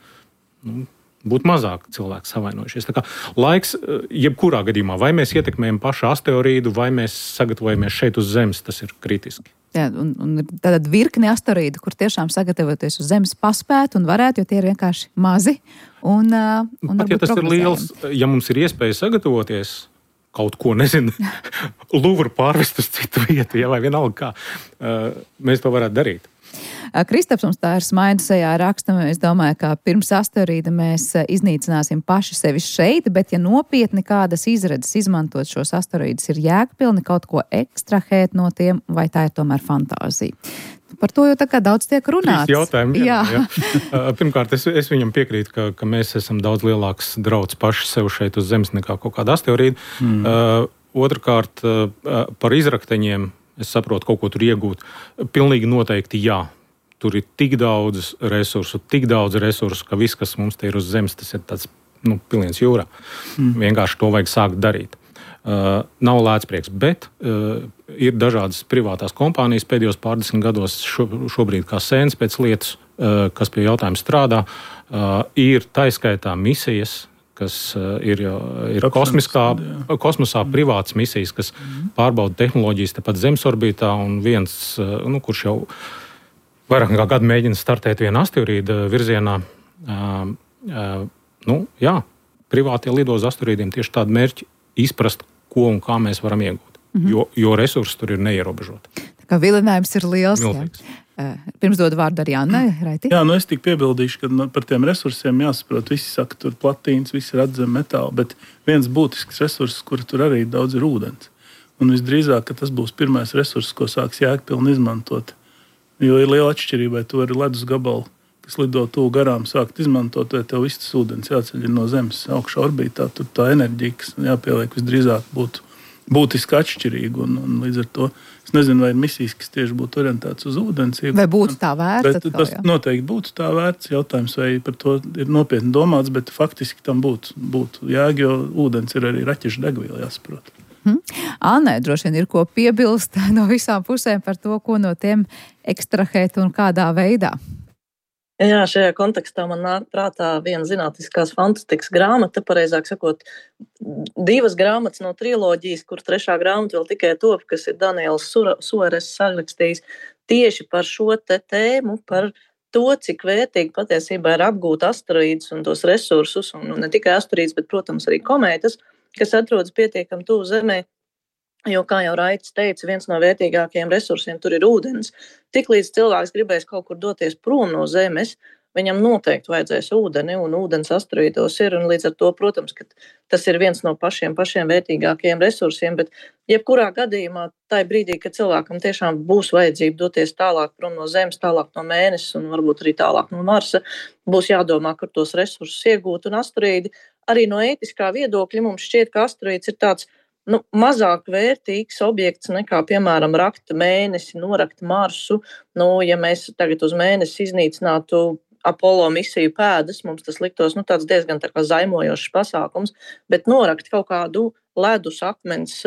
būtu mazāk cilvēki savainojušies. Tā kā laiks, jebkurā gadījumā, vai mēs ietekmējam pašu asteroīdu, vai mēs sagatavojamies šeit uz Zemes, tas ir kritiski. Jā, un tad virkni asteroīdu, kur tiešām sagatavoties uz Zemes paspēt un varētu, jo tie ir vienkārši mazi. Pat ja tas ir liels, ja mums ir iespēja sagatavoties kaut ko, nezinu, Luvru pārvest uz citu vietu, vai vienalga kā, mēs to varētu darīt. Kristaps mums tā ir smaida sejā raksta. Es domāju, ka pirms asteroīda mēs iznīcināsim paši sevi šeit, bet ja nopietni kādas izredzes izmantot šos asteroīdus ir jēgpilni kaut ko ekstrahēt no tiem, vai tā ir tomēr fantāzija? Par to jau tā kā daudz tiek runāts. Jautājumi, jā. Pirmkārt, es viņam piekrītu, ka mēs esam daudz lielāks drauds paši sev šeit uz Zemes nekā kaut kāda asteroīda. Otrkārt, par izrakteņiem es saprotu, kaut ko tur iegūt. Pilnīgi noteikti jā. Tur ir tik daudz resursu, ka viss, kas mums te ir uz Zemes, tas ir tāds, piliens jūrā. Vienkārši to vajag sākt darīt. Nav lēcprieks, bet ir dažādas privātās kompānijas pēdējos pārdesmit gados šobrīd kā sēns pēc lietas, kas pie jautājuma strādā. Ir taiskaitā misijas, kas ir kosmosā privātas misijas, kas pārbauda tehnoloģijas tepat Zemes orbītā, un viens, kurš jau vairāk kā gadu mēģina startēt vienu asteroīdu virzienā. Privātie lido uz asteroīdiem tieši tādu mērķi izprast, ko un kā mēs varam iegūt, jo resursi tur ir neierobežoti. Tā kā vilinājums ir liels. Pirms dodu vārdu arī Annai, Raiti. Jā, es tik piebildīšu, ka par tiem resursiem jāsaprot. Visi saka, tur platīns, visi ir atzem metāli, bet viens būtisks resurss, kur tur arī daudz ir ūdens. Un visdrīzāk, ka tas būs pirmais resurss, ko sāks jēgpilni izmantot. Jo ir liela atšķirība, vai tu vari ledus gabalu, kas lido tuvu garām, sākt izmantot, vai tev viss tas ūdens jāceļ no Zemes augšā orbītā. Tur tā enerģija, kas jāpieliek, visdrīzāk būtu būtiski atšķirīga. Un līdz ar to es nezinu, vai ir misijas, kas tieši būtu orientētas uz ūdens. Vai būtu tā vērts? Tas noteikti būtu tā vērts. Jautājums, vai par to ir nopietni domāts, bet faktiski tam būtu jēga, jo ūdens ir arī raķešu degviela, jāsaprot. Annai droši vien ir ko piebilst no visām pusēm par to, ko no tiem ekstrahēt un kādā veidā. Jā, šajā kontekstā man nāk prātā viena zinātniskās fantastikas grāmata, pareizāk sakot, 2 grāmatas no triloģijas, kur 3. grāmata vēl tikai top, kas ir Daniels Suares sarakstījis tieši par šo tēmu, par to, cik vērtīgi patiesībā ir apgūt asteroīdus un tos resursus, un ne tikai asteroīdus, bet, protams, arī komētas, kas atrodas pietiekami tuvu Zemē. Jo, kā jau Raitis teica, viens no vērtīgākajiem resursiem tur ir ūdens. Tiklīdz cilvēks gribēs kaut kur doties prom no Zemes, viņam noteikti vajadzēs ūdeni, un ūdens asteroīdos ir, un līdz ar to, protams, ka tas ir viens no pašiem vērtīgākajiem resursiem, bet jebkurā gadījumā, tajā brīdī, kad cilvēkam tiešām būs vajadzība doties tālāk prom no Zemes, tālāk no Mēnesis un varbūt arī tālāk no Marsa, būs jādomā, kur tos resursus iegūt, un asteroīdi arī no ētiskā viedokļa mums šķiet, ka asteroīds ir tāds mazāk vērtīgs objekts nekā, piemēram, rakt Mēnesi, norakt Marsu. Ja mēs tagad uz Mēnesi iznīcinātu Apollo misiju pēdas, mums tas liktos tāds diezgan tā kā zaimojošs pasākums, bet norakt kaut kādu ledus akmens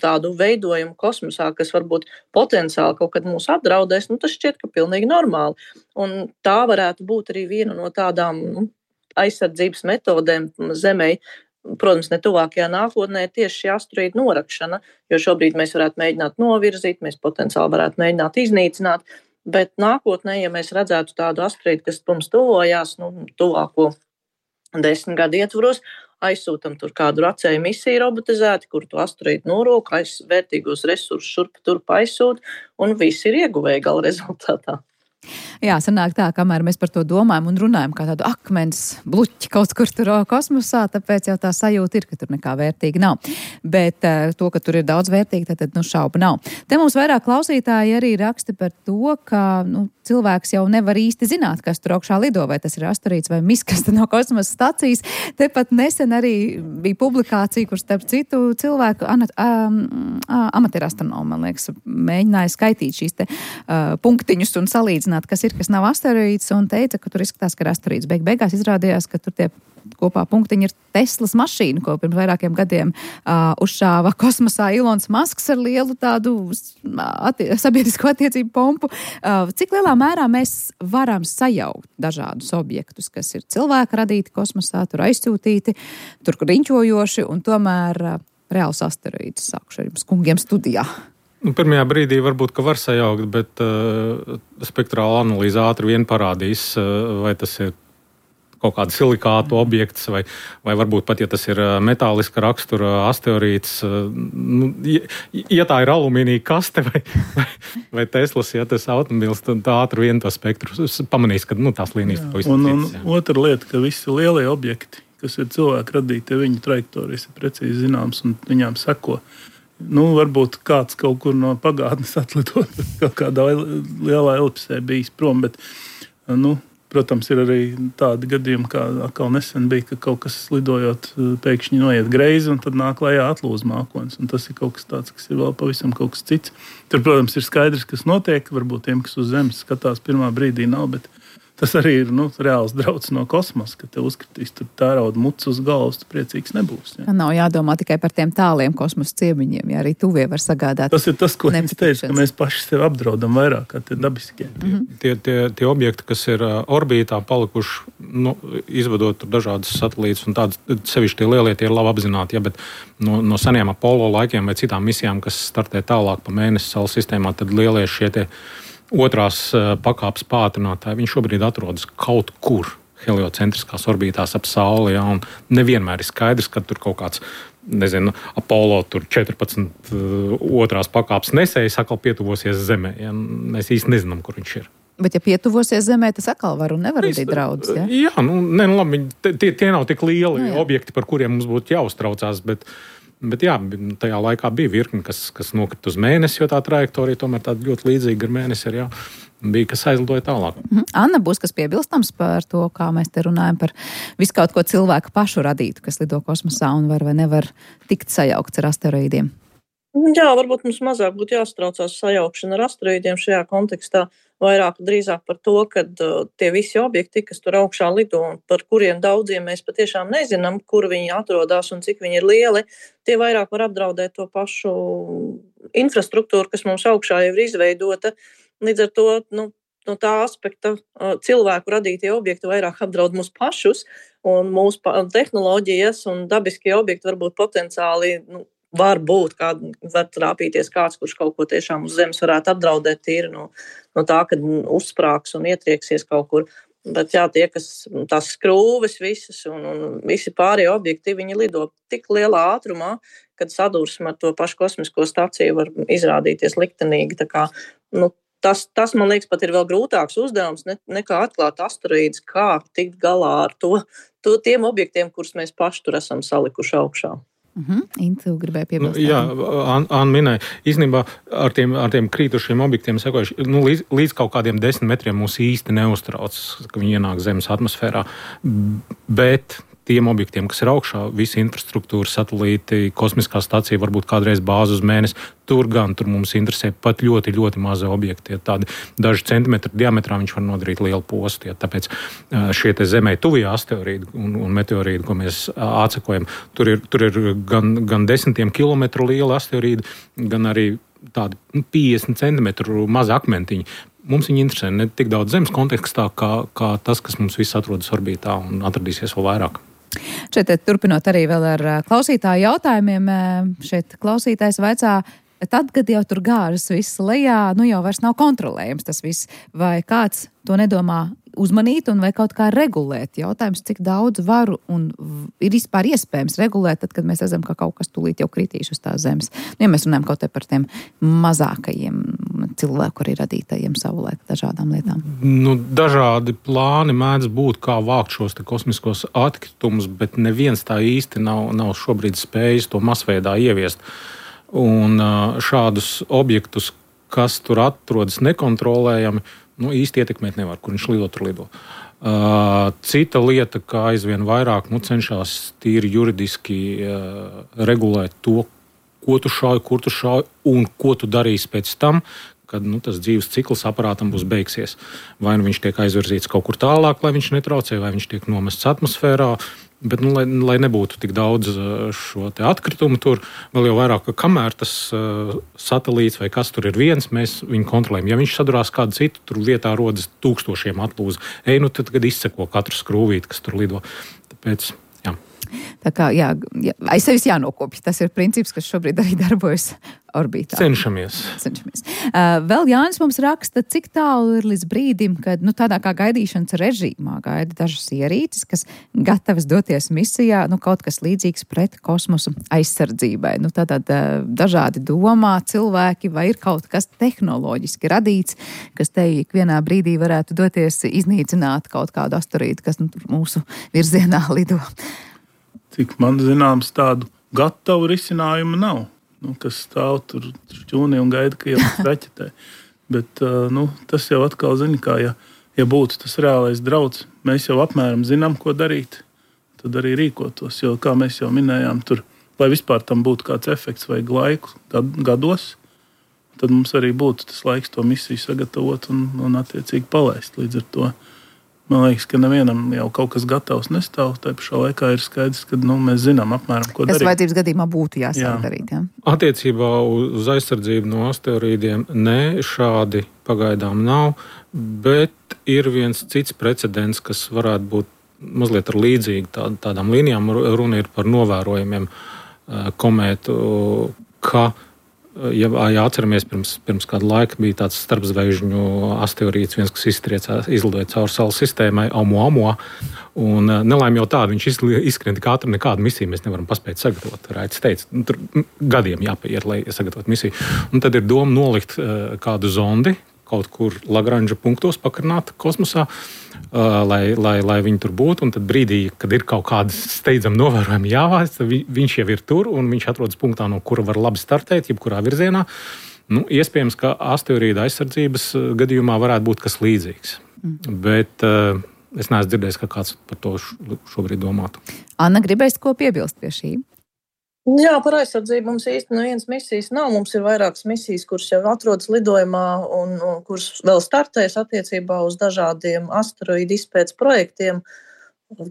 tādu veidojumu kosmosā, kas varbūt potenciāli kaut kad mūs apdraudēs, tas šķiet, ka pilnīgi normāli. Un tā varētu būt arī viena no tādām aizsardzības metodēm Zemei. Protams, ne tuvākajā nākotnē tieši šī asteroīda norakšana, jo šobrīd mēs varētu mēģināt novirzīt, mēs potenciāli varētu mēģināt iznīcināt, bet nākotnē, ja mēs redzētu tādu asteroīdu, kas mums tuvojās, tuvāko 10 gadu ietvaros, aizsūtam tur kādu racēju misiju robotizēti, kur to asteroīdu norok, vērtīgos resursus šurp turp aizsūt, un visi ir ieguvēji gala rezultātā. Jā, sanāk tā, kamēr mēs par to domājam un runājam kā tādu akmens bluķi kaut kur tur kosmosā, tāpēc jau tā sajūta ir, ka tur nekā vērtīga nav. Bet to, ka tur ir daudz vērtīgi, tad šauba nav. Te mums vairāk klausītāji arī raksta par to, ka cilvēks jau nevar īsti zināt, kas tur augšā lido, vai tas ir asteroīds vai miskasta no kosmosa stacijas. Tepat nesen arī bija publikācija, kur starp citu cilvēku amatierastronomi, man liekas, mēģināja skaitīt šīs te punktiņus un salīdzināt, kas ir, kas nav asteroīds, un teica, ka tur izskatās, ka ir asteroīds. Beigās izrādījās, ka tur tie kopā punktiņi ir Teslas mašīna, ko pirms vairākiem gadiem uzšāva kosmosā Ilons Masks ar lielu tādu sabiedrisko attiecību pompu. Cik lielā mērā mēs varam sajaukt dažādus objektus, kas ir cilvēka radīti kosmosā, tur aizsūtīti, tur riņķojoši, un tomēr reāls asteroīds sākuši ar jums kungiem studijā? Pirmajā brīdī varbūt, ka var sajaukt, bet spektrāla analīze ātri vien parādīs, vai tas ir kaut kāda silikātu objekts, vai varbūt pat, ja tas ir metāliska rakstura asteroīds, ja tā ir alumīnija kaste vai Teslas, ja tas automobils, tad ātri vien to spektru pamanīs, ka tās līnijas pavisam citas. Un otra lieta, ka visi lielie objekti, kas ir cilvēku radīti, viņu trajektorijas ir precīzi zināmas un viņām seko. Varbūt kāds kaut kur no pagātnes atlidot, kaut kādā lielā elipsē bijis prom, bet, protams, ir arī tādi gadījumi, kā atkal nesen bija, ka kaut kas lidojot pēkšņi noiet greizi un tad nāk lejā atlūz mākonis, un tas ir kaut kas tāds, kas ir vēl pavisam kaut kas cits. Tur, protams, ir skaidrs, kas notiek, varbūt tiem, kas uz zemes skatās pirmā brīdī nav, bet tas arī ir reāls drauds no kosmosa, ka te uzkritīs tur tērauda muts uz galvas, tu priecīgs nebūs. Ja? Nav jādomā tikai par tiem tāliem kosmosa ciemiņiem, ja arī tuvie var sagādāt. Tas ir tas, ko es teicu, ka mēs paši sevi apdraudam vairāk kā tie dabiskie. Tie objekti, kas ir orbītā palikuši, izvedot dažādas satelītus un tādas, sevišķi tie lielie, tie ir labi apzināti, ja, bet no seniem Apollo laikiem vai citām misijām, kas startē tālāk pa mēnesi saules sistēmā, tad lielie šie tie otrās pakāpes pātrinātāji, viņi šobrīd atrodas kaut kur heliocentriskās orbītās ap Sauli, ja, un nevienmēr ir skaidrs, ka tur kaut kāds, Apollo tur 14 otrās pakāpes nesējs atkal pietuvosies Zemē. Ja, mēs īsti nezinām, kur viņš ir. Bet, ja pietuvosies Zemē, tas atkal var un nevar radīt draudus, ja? Jā, labi, tie nav tik lieli objekti, par kuriem mums būtu jāuztraucās, Bet jā, tajā laikā bija virkni, kas nokrita uz mēnesi, jo tā trajektorija tomēr tāda ļoti līdzīga ar mēnesi ir, jā, bija, kas aizlidoja tālāk. Anna, būs kas piebilstams par to, kā mēs te runājam par visu kaut ko cilvēku pašu radītu, kas lido kosmosā un var vai nevar tikt sajaukts ar asteroīdiem? Jā, varbūt mums mazāk būtu jāstraucās sajaukšana ar asteroīdiem šajā kontekstā. Vairāk drīzāk par to, ka tie visi objekti, kas tur augšā lido un par kuriem daudziem mēs patiešām nezinām, kur viņi atrodas un cik viņi ir lieli, tie vairāk var apdraudēt to pašu infrastruktūru, kas mums augšā jau ir izveidota. Līdz ar to, no tā aspekta cilvēku radītie objekti vairāk apdraud mūs pašus un mūsu tehnoloģijas un dabiskie objekti varbūt potenciāli, var būt, var trāpīties kāds, kurš kaut ko tiešām uz zemes varētu apdraudēt tīri no tā, kad uzsprāgs un ietrieksies kaut kur. Bet jā, tie, kas tās skrūves visas un visi pārējie objekti, viņi lido tik lielā ātrumā, kad sadursme ar to pašu kosmisko staciju var izrādīties liktenīgi. Tā kā, tas, man liekas, pat ir vēl grūtāks uzdevums nekā atklāt asteroīdus, kā tikt galā ar tiem objektiem, kurus mēs paši tur esam salikuši augšā. Intu gribēja piebilst. Jā, Anna minēja, īstenībā ar tiem krītušiem objektiem sekojuši, līdz kaut kādiem 10 metriem mūs īsti neuztrauc, ka viņi ienāk Zemes atmosfērā, bet tiem objektiem, kas ir augšā, visa infrastruktūra, satelīti, kosmiskā stacija, varbūt kādreiz bāze uz mēnesi, tur mums interesē pat ļoti, ļoti mazi objekti. Ja tādi daži centimetri diametrā viņš var nodarīt lielu postu. Ja tāpēc šie te Zemē tuvie asteroīdi un meteorīdi, ko mēs atsekojam, tur ir gan desmitiem kilometru lieli asteroīdi, gan arī tādi 50 centimetru mazi akmentiņi. Mums viņi interesē ne tik daudz Zemes kontekstā, kā tas, kas mums viss atrodas orbītā un atradīsies vēl vairāk. Šeit turpinot arī vēl ar klausītāju jautājumiem, šeit klausītājs vaicā, tad, kad jau tur gāžas viss lejā, jau vairs nav kontrolējams tas viss, vai kāds to nedomā uzmanīt un vai kaut kā regulēt? Jautājums, cik daudz varu un ir vispār iespējams regulēt, tad, kad mēs redzam, ka kaut kas tūlīt jau kritīs uz tās zemes. Ja mēs runājam kaut te par tiem mazākajiem cilvēku arī radītajiem savulaik dažādām lietām. Dažādi plāni mēdz būt, kā vākt šos te kosmiskos atkritumus, bet neviens tā īsti nav šobrīd spējis to masveidā ieviest. Un šādus objektus, kas tur atrodas nekontrolējami, īsti ietekmēt nevar, kur viņš lido. Cita lieta, kā aizvien vairāk cenšas tīri juridiski regulēt to, ko tu šauj, kur tu šauj un ko tu darīsi pēc tam, kad tas dzīves cikls aparātam būs beigsies. Vai nu viņš tiek aizvirzīts kaut kur tālāk, lai viņš netraucē, vai viņš tiek nomests atmosfērā. Bet, lai nebūtu tik daudz šo atkritumu tur, vēl jau vairāk, ka kamēr tas satelīts vai kas tur ir viens, mēs viņu kontrolējam. Ja viņš sadurās kādu citu, tur vietā rodas tūkstošiem atlūzu. Tad izseko katru skrūvīti, kas tur lido. Tāpēc, jā. Tā kā, jā, aiz sevis jānokopja. Tas ir princips, kas šobrīd arī darbojas orbītā. Cenšamies. Vēl Jānis mums raksta, cik tālu ir līdz brīdim, kad tādā kā gaidīšanas režīmā gaida dažas ierīces, kas gatavas doties misijā, kaut kas līdzīgs pret kosmosu aizsardzībai. Tātad dažādi domā cilvēki, vai ir kaut kas tehnoloģiski radīts, kas te ikvienā brīdī varētu doties iznīcināt kaut kādu asteroīdu, kas mūsu virzienā lido. Cik man zināms, tādu gatavu risinājumu nav. Kas stāv tur šķūnī un gaida, ka jau raķetē. Bet tas jau atkal zina, kā ja būtu tas reālais drauds, mēs jau apmēram zinām, ko darīt, tad arī rīkotos. Jo, kā mēs jau minējām, tur, lai vispār tam būtu kāds efekts vajag laiku gados, tad mums arī būtu tas laiks to misiju sagatavot un attiecīgi palaist līdz ar to. Man liekas, ka nevienam jau kaut kas gatavs nestāv. Tā pašā laikā ir skaidrs, ka mēs zinām apmēram, ko darīt. Kas vajadzības gadījumā būtu jāsāk darīt, jā? Attiecībā uz aizsardzību no asteroīdiem šādi pagaidām nav, bet ir viens cits precedents, kas varētu būt mazliet ar līdzīgi tādām līnijām. Runa ir par novērojumiem komētu, ka ja atceramies, pirms kāda laika bija tāds starpzvaigžņu asteroīds, viens, kas izlidoja cauri saules sistēmai, Oumuamua. Un nelaime jau tāda, viņš izskrien tik ātri, nekādu misiju mēs nevaram paspēt sagatavot. Raits teica, tur gadiem jāpaiet, lai sagatavotu misiju. Un tad ir doma nolikt kādu zondi kaut kur Lagranža punktos pakarināt kosmosā, lai viņi tur būtu. Un tad brīdī, kad ir kaut kādas steidzami novērojumi jāvāc, viņš jau ir tur un viņš atrodas punktā, no kura var labi startēt, jebkurā virzienā. Iespējams, ka asteroīda aizsardzības gadījumā varētu būt kas līdzīgs. Bet es neesmu dzirdējis, ka kāds par to šobrīd domātu. Anna, gribēs ko piebilst pie šī? Jā, par aizsardzību mums īsti nevienas misijas nav. Mums ir vairākas misijas, kuras jau atrodas lidojumā un kuras vēl startēs attiecībā uz dažādiem asteroīdu izpētes projektiem.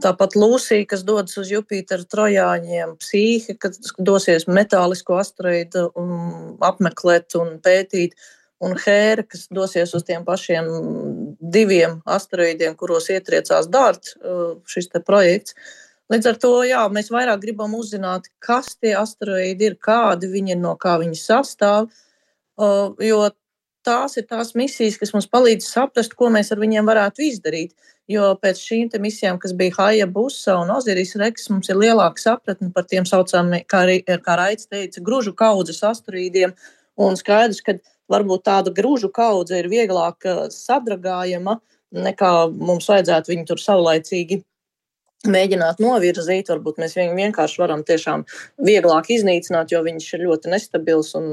Tāpat Lūsija, kas dodas uz Jupiteru trojāņiem, Psīhe, kas dosies metālisko asteroīdu apmeklēt un pētīt, un Hēra, kas dosies uz tiem pašiem 2 asteroīdiem, kuros ietriecās DART, šis te projekts. Līdz ar to, jā, mēs vairāk gribam uzzināt, kas tie asteroīdi ir, kādi viņi ir, no kā viņi sastāv, jo tās ir tās misijas, kas mums palīdz saprast, ko mēs ar viņiem varētu izdarīt. Jo pēc šīm te misijām, kas bija Hayabusa un Osiris Rex, mums ir lielāka sapratne par tiem saucamiem, kā Raits teica, gružu kaudzes asteroīdiem, un skaidrs, ka varbūt tāda gružu kaudze ir vieglāk sadragājama, nekā mums vajadzētu viņu tur savlaicīgi mēģināt novirzīt, varbūt mēs viņu vienkārši varam tiešām vieglāk iznīcināt, jo viņš ir ļoti nestabils un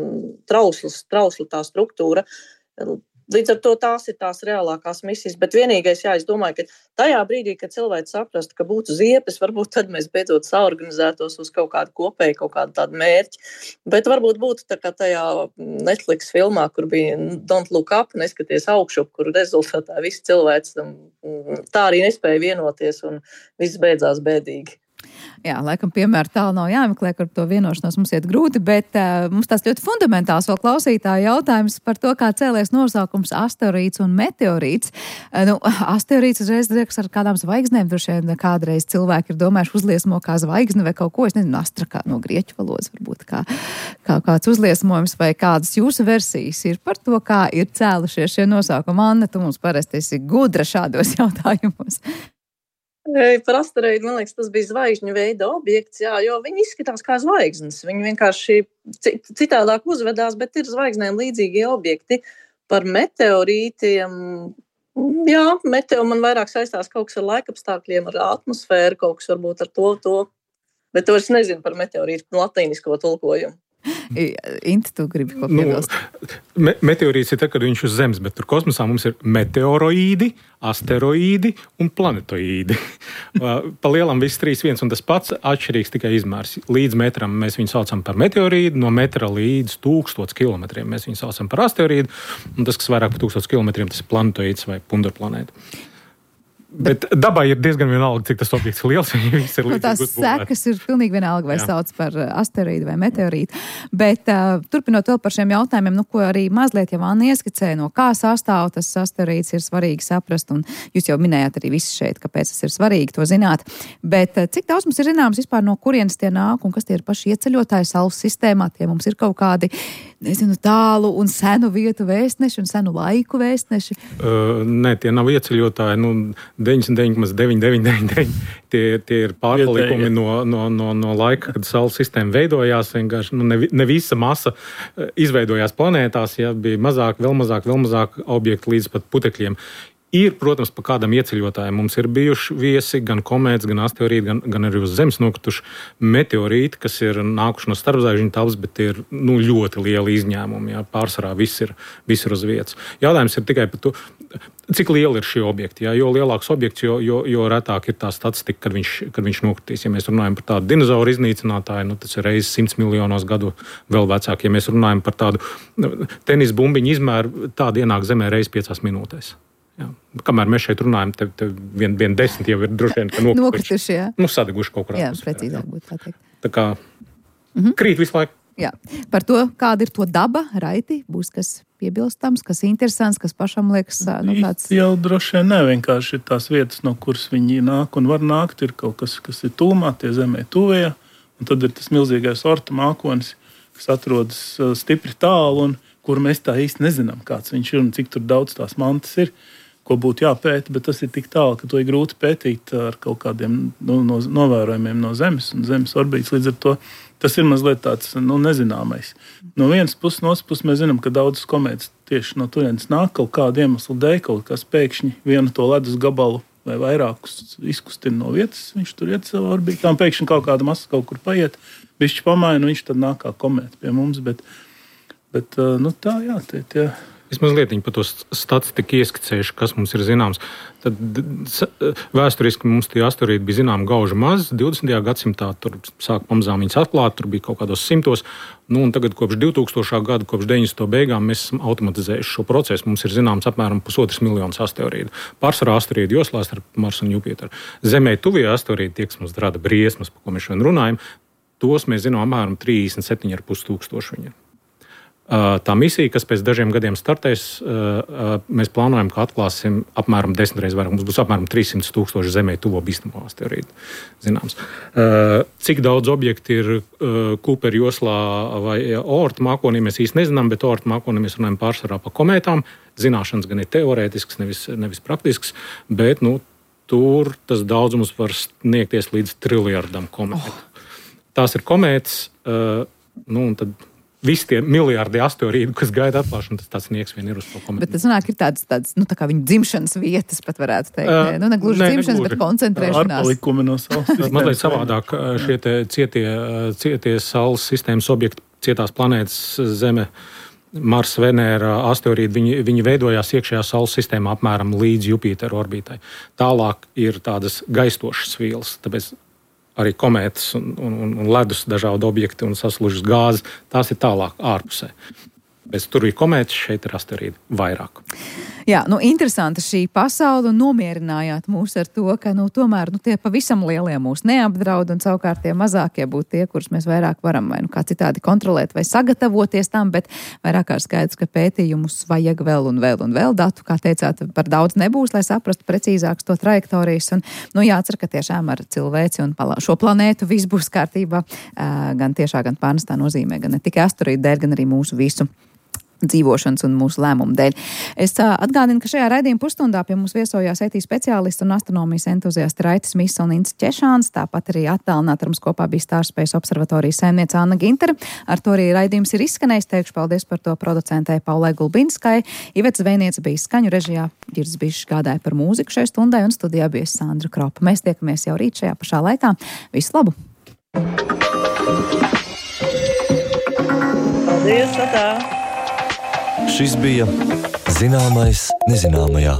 trausla tā struktūra. Līdz ar to tās ir tās reālākās misijas, bet vienīgais, es domāju, ka tajā brīdī, kad cilvēks saprastu, ka būtu ziepes, varbūt tad mēs beidzot saorganizētos uz kaut kādu kopēju, kaut kādu tādu mērķi, bet varbūt būtu tā kā tajā Netflix filmā, kur bija Don't Look Up, neskaties augšup, kur rezultātā visi cilvēks tā arī nespēja vienoties un viss beidzās bēdīgi. Jā, laikam piemēra tālu nav jāmeklē, kur to vienošanos mums iet grūti, bet mums tās ļoti fundamentāls vēl klausītāja jautājums par to, kā cēlies nosaukums asteroīds un meteorīts. Asteroīds uzreiz liekas ar kādām zvaigznēm, droši vien kādreiz cilvēki ir domājuši uzliesmo kā zvaigzne vai kaut ko, es nezinu, astra kā no grieķu valodas varbūt kā kāds uzliesmojums vai kādas jūsu versijas ir par to, kā ir cēlušies šie nosaukumi. Anna, tu mums parasti esi gudra šādos jautājumos. Par asteroīdu, man liekas, tas bija zvaigžņu veida objekts, jo viņi izskatās kā zvaigznes. Viņi vienkārši citādāk uzvedās, bet ir zvaigznēm līdzīgie objekti. Par meteorītiem, man vairāk saistās kaut kas ar laikapstākļiem, ar atmosfēru, kaut kas varbūt ar to. Bet to es nezinu par meteorītu latīnisko tulkojumu. Inti, tu gribi ko piebilst? Meteorīts ir tā, kad viņš uz Zemes, bet tur kosmosā mums ir meteoroīdi, asteroīdi un planetoīdi. Pa lielam viss 3-1, un tas pats atšķirīgs tikai izmērs. Līdz metram mēs viņu saucam par meteorīdu, no metra līdz 1000 kilometriem mēs viņu saucam par asteroīdu, un tas, kas vairāk par 1000 kilometriem, tas ir planetoīds vai pundarplanēta. Bet dabai ir diezgan vienalga, cik tas objekts ir liels. Tās sekas ir pilnīgi vienalga, vai sauc par asteroīdu vai meteorītu. Bet turpinot vēl par šiem jautājumiem, ko arī mazliet jau Anna ieskicēja, no kā sastāv tas asteroīds, ir svarīgi saprast, un jūs jau minējāt arī visu šeit, kāpēc tas ir svarīgi to zināt. Bet cik daudz mums ir zināms vispār, no kurienes tie nāk, un kas tie ir paši ieceļotāji Saules sistēmā, tie mums ir kaut kādi, nezinu, tālu un senu vietu vēstneši un senu laiku vēstneši? Nē, tie nav ieceļotāji, 99,9999. Tie ir pārpalikumi no laika, kad Saules sistēma veidojās. Vienkārši ne visa masa izveidojās planētās, ja bija mazāk, vēl mazāk objektu līdz pat putekļiem. Ir, protams, pa kādam ieceļotājiem mums ir bijuši viesi, gan komētas, gan asteroīdi, gan arī uz Zemes nokrituši meteorīti, kas ir nākuši no starpzvaigžņu telpas, bet tie ir ļoti lieli izņēmumi. Jā. Pārsvarā viss ir uz vietas. Jautājums ir tikai par to, cik lieli ir šie objekti. Jā. Jo lielāks objekts, jo retāk ir tā statistika, kad viņš nokritīs. Ja mēs runājam par tādu dinozauru iznīcinātāju, tas ir reizes 100 miljonos gadu vēl vecāk. Ja mēs runājam par tādu tenisa bumbiņu izmēru, tāda ienāk Zemē reizes 5 minūtēs. Jā. Kamēr mēs šeit runājam, te vien 10 jau ir droši vien, ka nokrituši, jā. Sadeguši kaut kur. Jā, precīzāk būtu tā teikt. Tā kā krīt visu laiku. Jā. Par to, kāda ir to daba, Raiti, būs kas piebilstams, kas interesants, kas pašam liekas, tāds... Jau droši vien vienkārši ir tās vietas, no kuras viņi nāk un var nākt, ir kaut kas ir tūmā, tie Zemē tuvējā, un tad ir tas milzīgais orta mākonis, kas atrodas stipri tālu, un kur mēs tā īsti nezinām, kāds viņš ir un cik tur daudz tās mantas ir, ko būtu jāpēta, bet tas ir tik tālu, ka to ir grūti pētīt ar kaut kādiem novērojumiem no Zemes un Zemes orbītas. Līdz ar to tas ir mazliet tāds nezināmais. No vienas puses, no otras puses mēs zinām, ka daudzas komētas tieši no turienes nāk kaut kādu iemeslu dēļ, kaut kas pēkšņi vienu to ledus gabalu vai vairākus izkustina no vietas, viņš tur iet savā orbītā, un pēkšņi kaut kāda masa kaut kur paiet, bišķi pamaina, viņš tad nāk kā komēta pie mums, bet tā, jā, tie... Es mazliet par to statistiku ieskicējuši, kas mums ir zināms. Tad vēsturiski mums tie asteroīdi bija zinām gauži maz. 20. gadsimtā tur sāk pamazām viņas atklāt, tur bija kaut kādos 100. Un tagad kopš 2000. gada, kopš 90. beigām mēs esam automatizējuši šo procesu. Mums ir zināms apmēram 1,5 miljonus asteroīdu. Pārsvarā asteroīdu joslās ar Marsu un Jupiteru. Zemē tuvie asteroīdi, tie, kas mums rada briesmas, par ko mēs šodien runājam, tos mēs zinām apmēram 37,5 tūkstoši viņi ir. Tā misija, kas pēc dažiem gadiem startēs, mēs plānojam, ka atklāsim apmēram 10 reizes vairāk. Mums būs apmēram 300,000 Zemē tuvo bīstamo asteroīdu. Zināms. Cik daudz objekti ir Kūpera joslā vai Oorta mākonī, mēs īsti nezinām, bet Oorta mākonī mēs runājam pārsvarā par komētām. Zināšanas gan ir teorētisks, nevis praktisks, bet tur tas daudzums var sniegties līdz triljardam komētu. Tās ir komētas, un tad visi tie miljardi asteroīdu, kas gaida atklāšanu, tas tāds sniegs vien ir uz to komētu. Bet tas nāk ir tāds tā kā viņa dzimšanas vietas, pat varētu teikt. Ne gluži dzimšanas, bet koncentrēšanās. Arpalikumi no Saules sistēmas. Mazliet savādāk šie cietie Saules sistēmas objekti, cietās planētas Zeme, Mars, Venēra, asteroīdi, viņi veidojās iekšējā Saules sistēmā apmēram līdz Jupiteru orbītai. Tālāk ir tādas gaistošas vielas, tāpēc arī komētas un ledus dažādi objekti un saslužas gāzes, tās ir tālāk ārpusē. Bet tur ir komētas, šeit ir asteroīdi vairāk. Jā, interesanta šī pasaule un nomierinājāt mūs ar to, ka tomēr tie pavisam lielie mūs neapdraud un savukārt tie mazākie būtu tie, kurus mēs vairāk varam vai kā citādi kontrolēt vai sagatavoties tam, bet vairāk kā skaidrs, ka pētījumus vajag vēl un vēl datu, kā teicāt, par daudz nebūs, lai saprastu precīzāks to trajektorijas un jācer, ka tiešām ar cilvēci un šo planētu viss būs kārtībā gan tiešā, gan pārnestā nozīmē, gan ne tikai asteroīdu dēļ, gan arī mūsu visu dzīvošanas un mūsu lēmumu dēļ. Es atgādinu, ka šajā raidījuma pusstundā pie mums viesojās IT speciālisti un astronomijas entuziasti Raitis Miss un Ints Češāns, tāpat arī attālināt ar mums kopā bija Starspējas observatorijas saimniece Anna Gintere. Ar to arī raidījums ir izskanējis. Teikšu paldies par to producentei Paulai Gulbinskai. Iveta Zvejniece bija skaņu režijā, Girds Bišs gādāja par mūziku šai stundai un studijā bija Sandra Kropa. Mēs tiekamies jau rīt šajā pašā laikā. Visu labu! Paldies, tā! Šis bija Zināmais nezināmajā.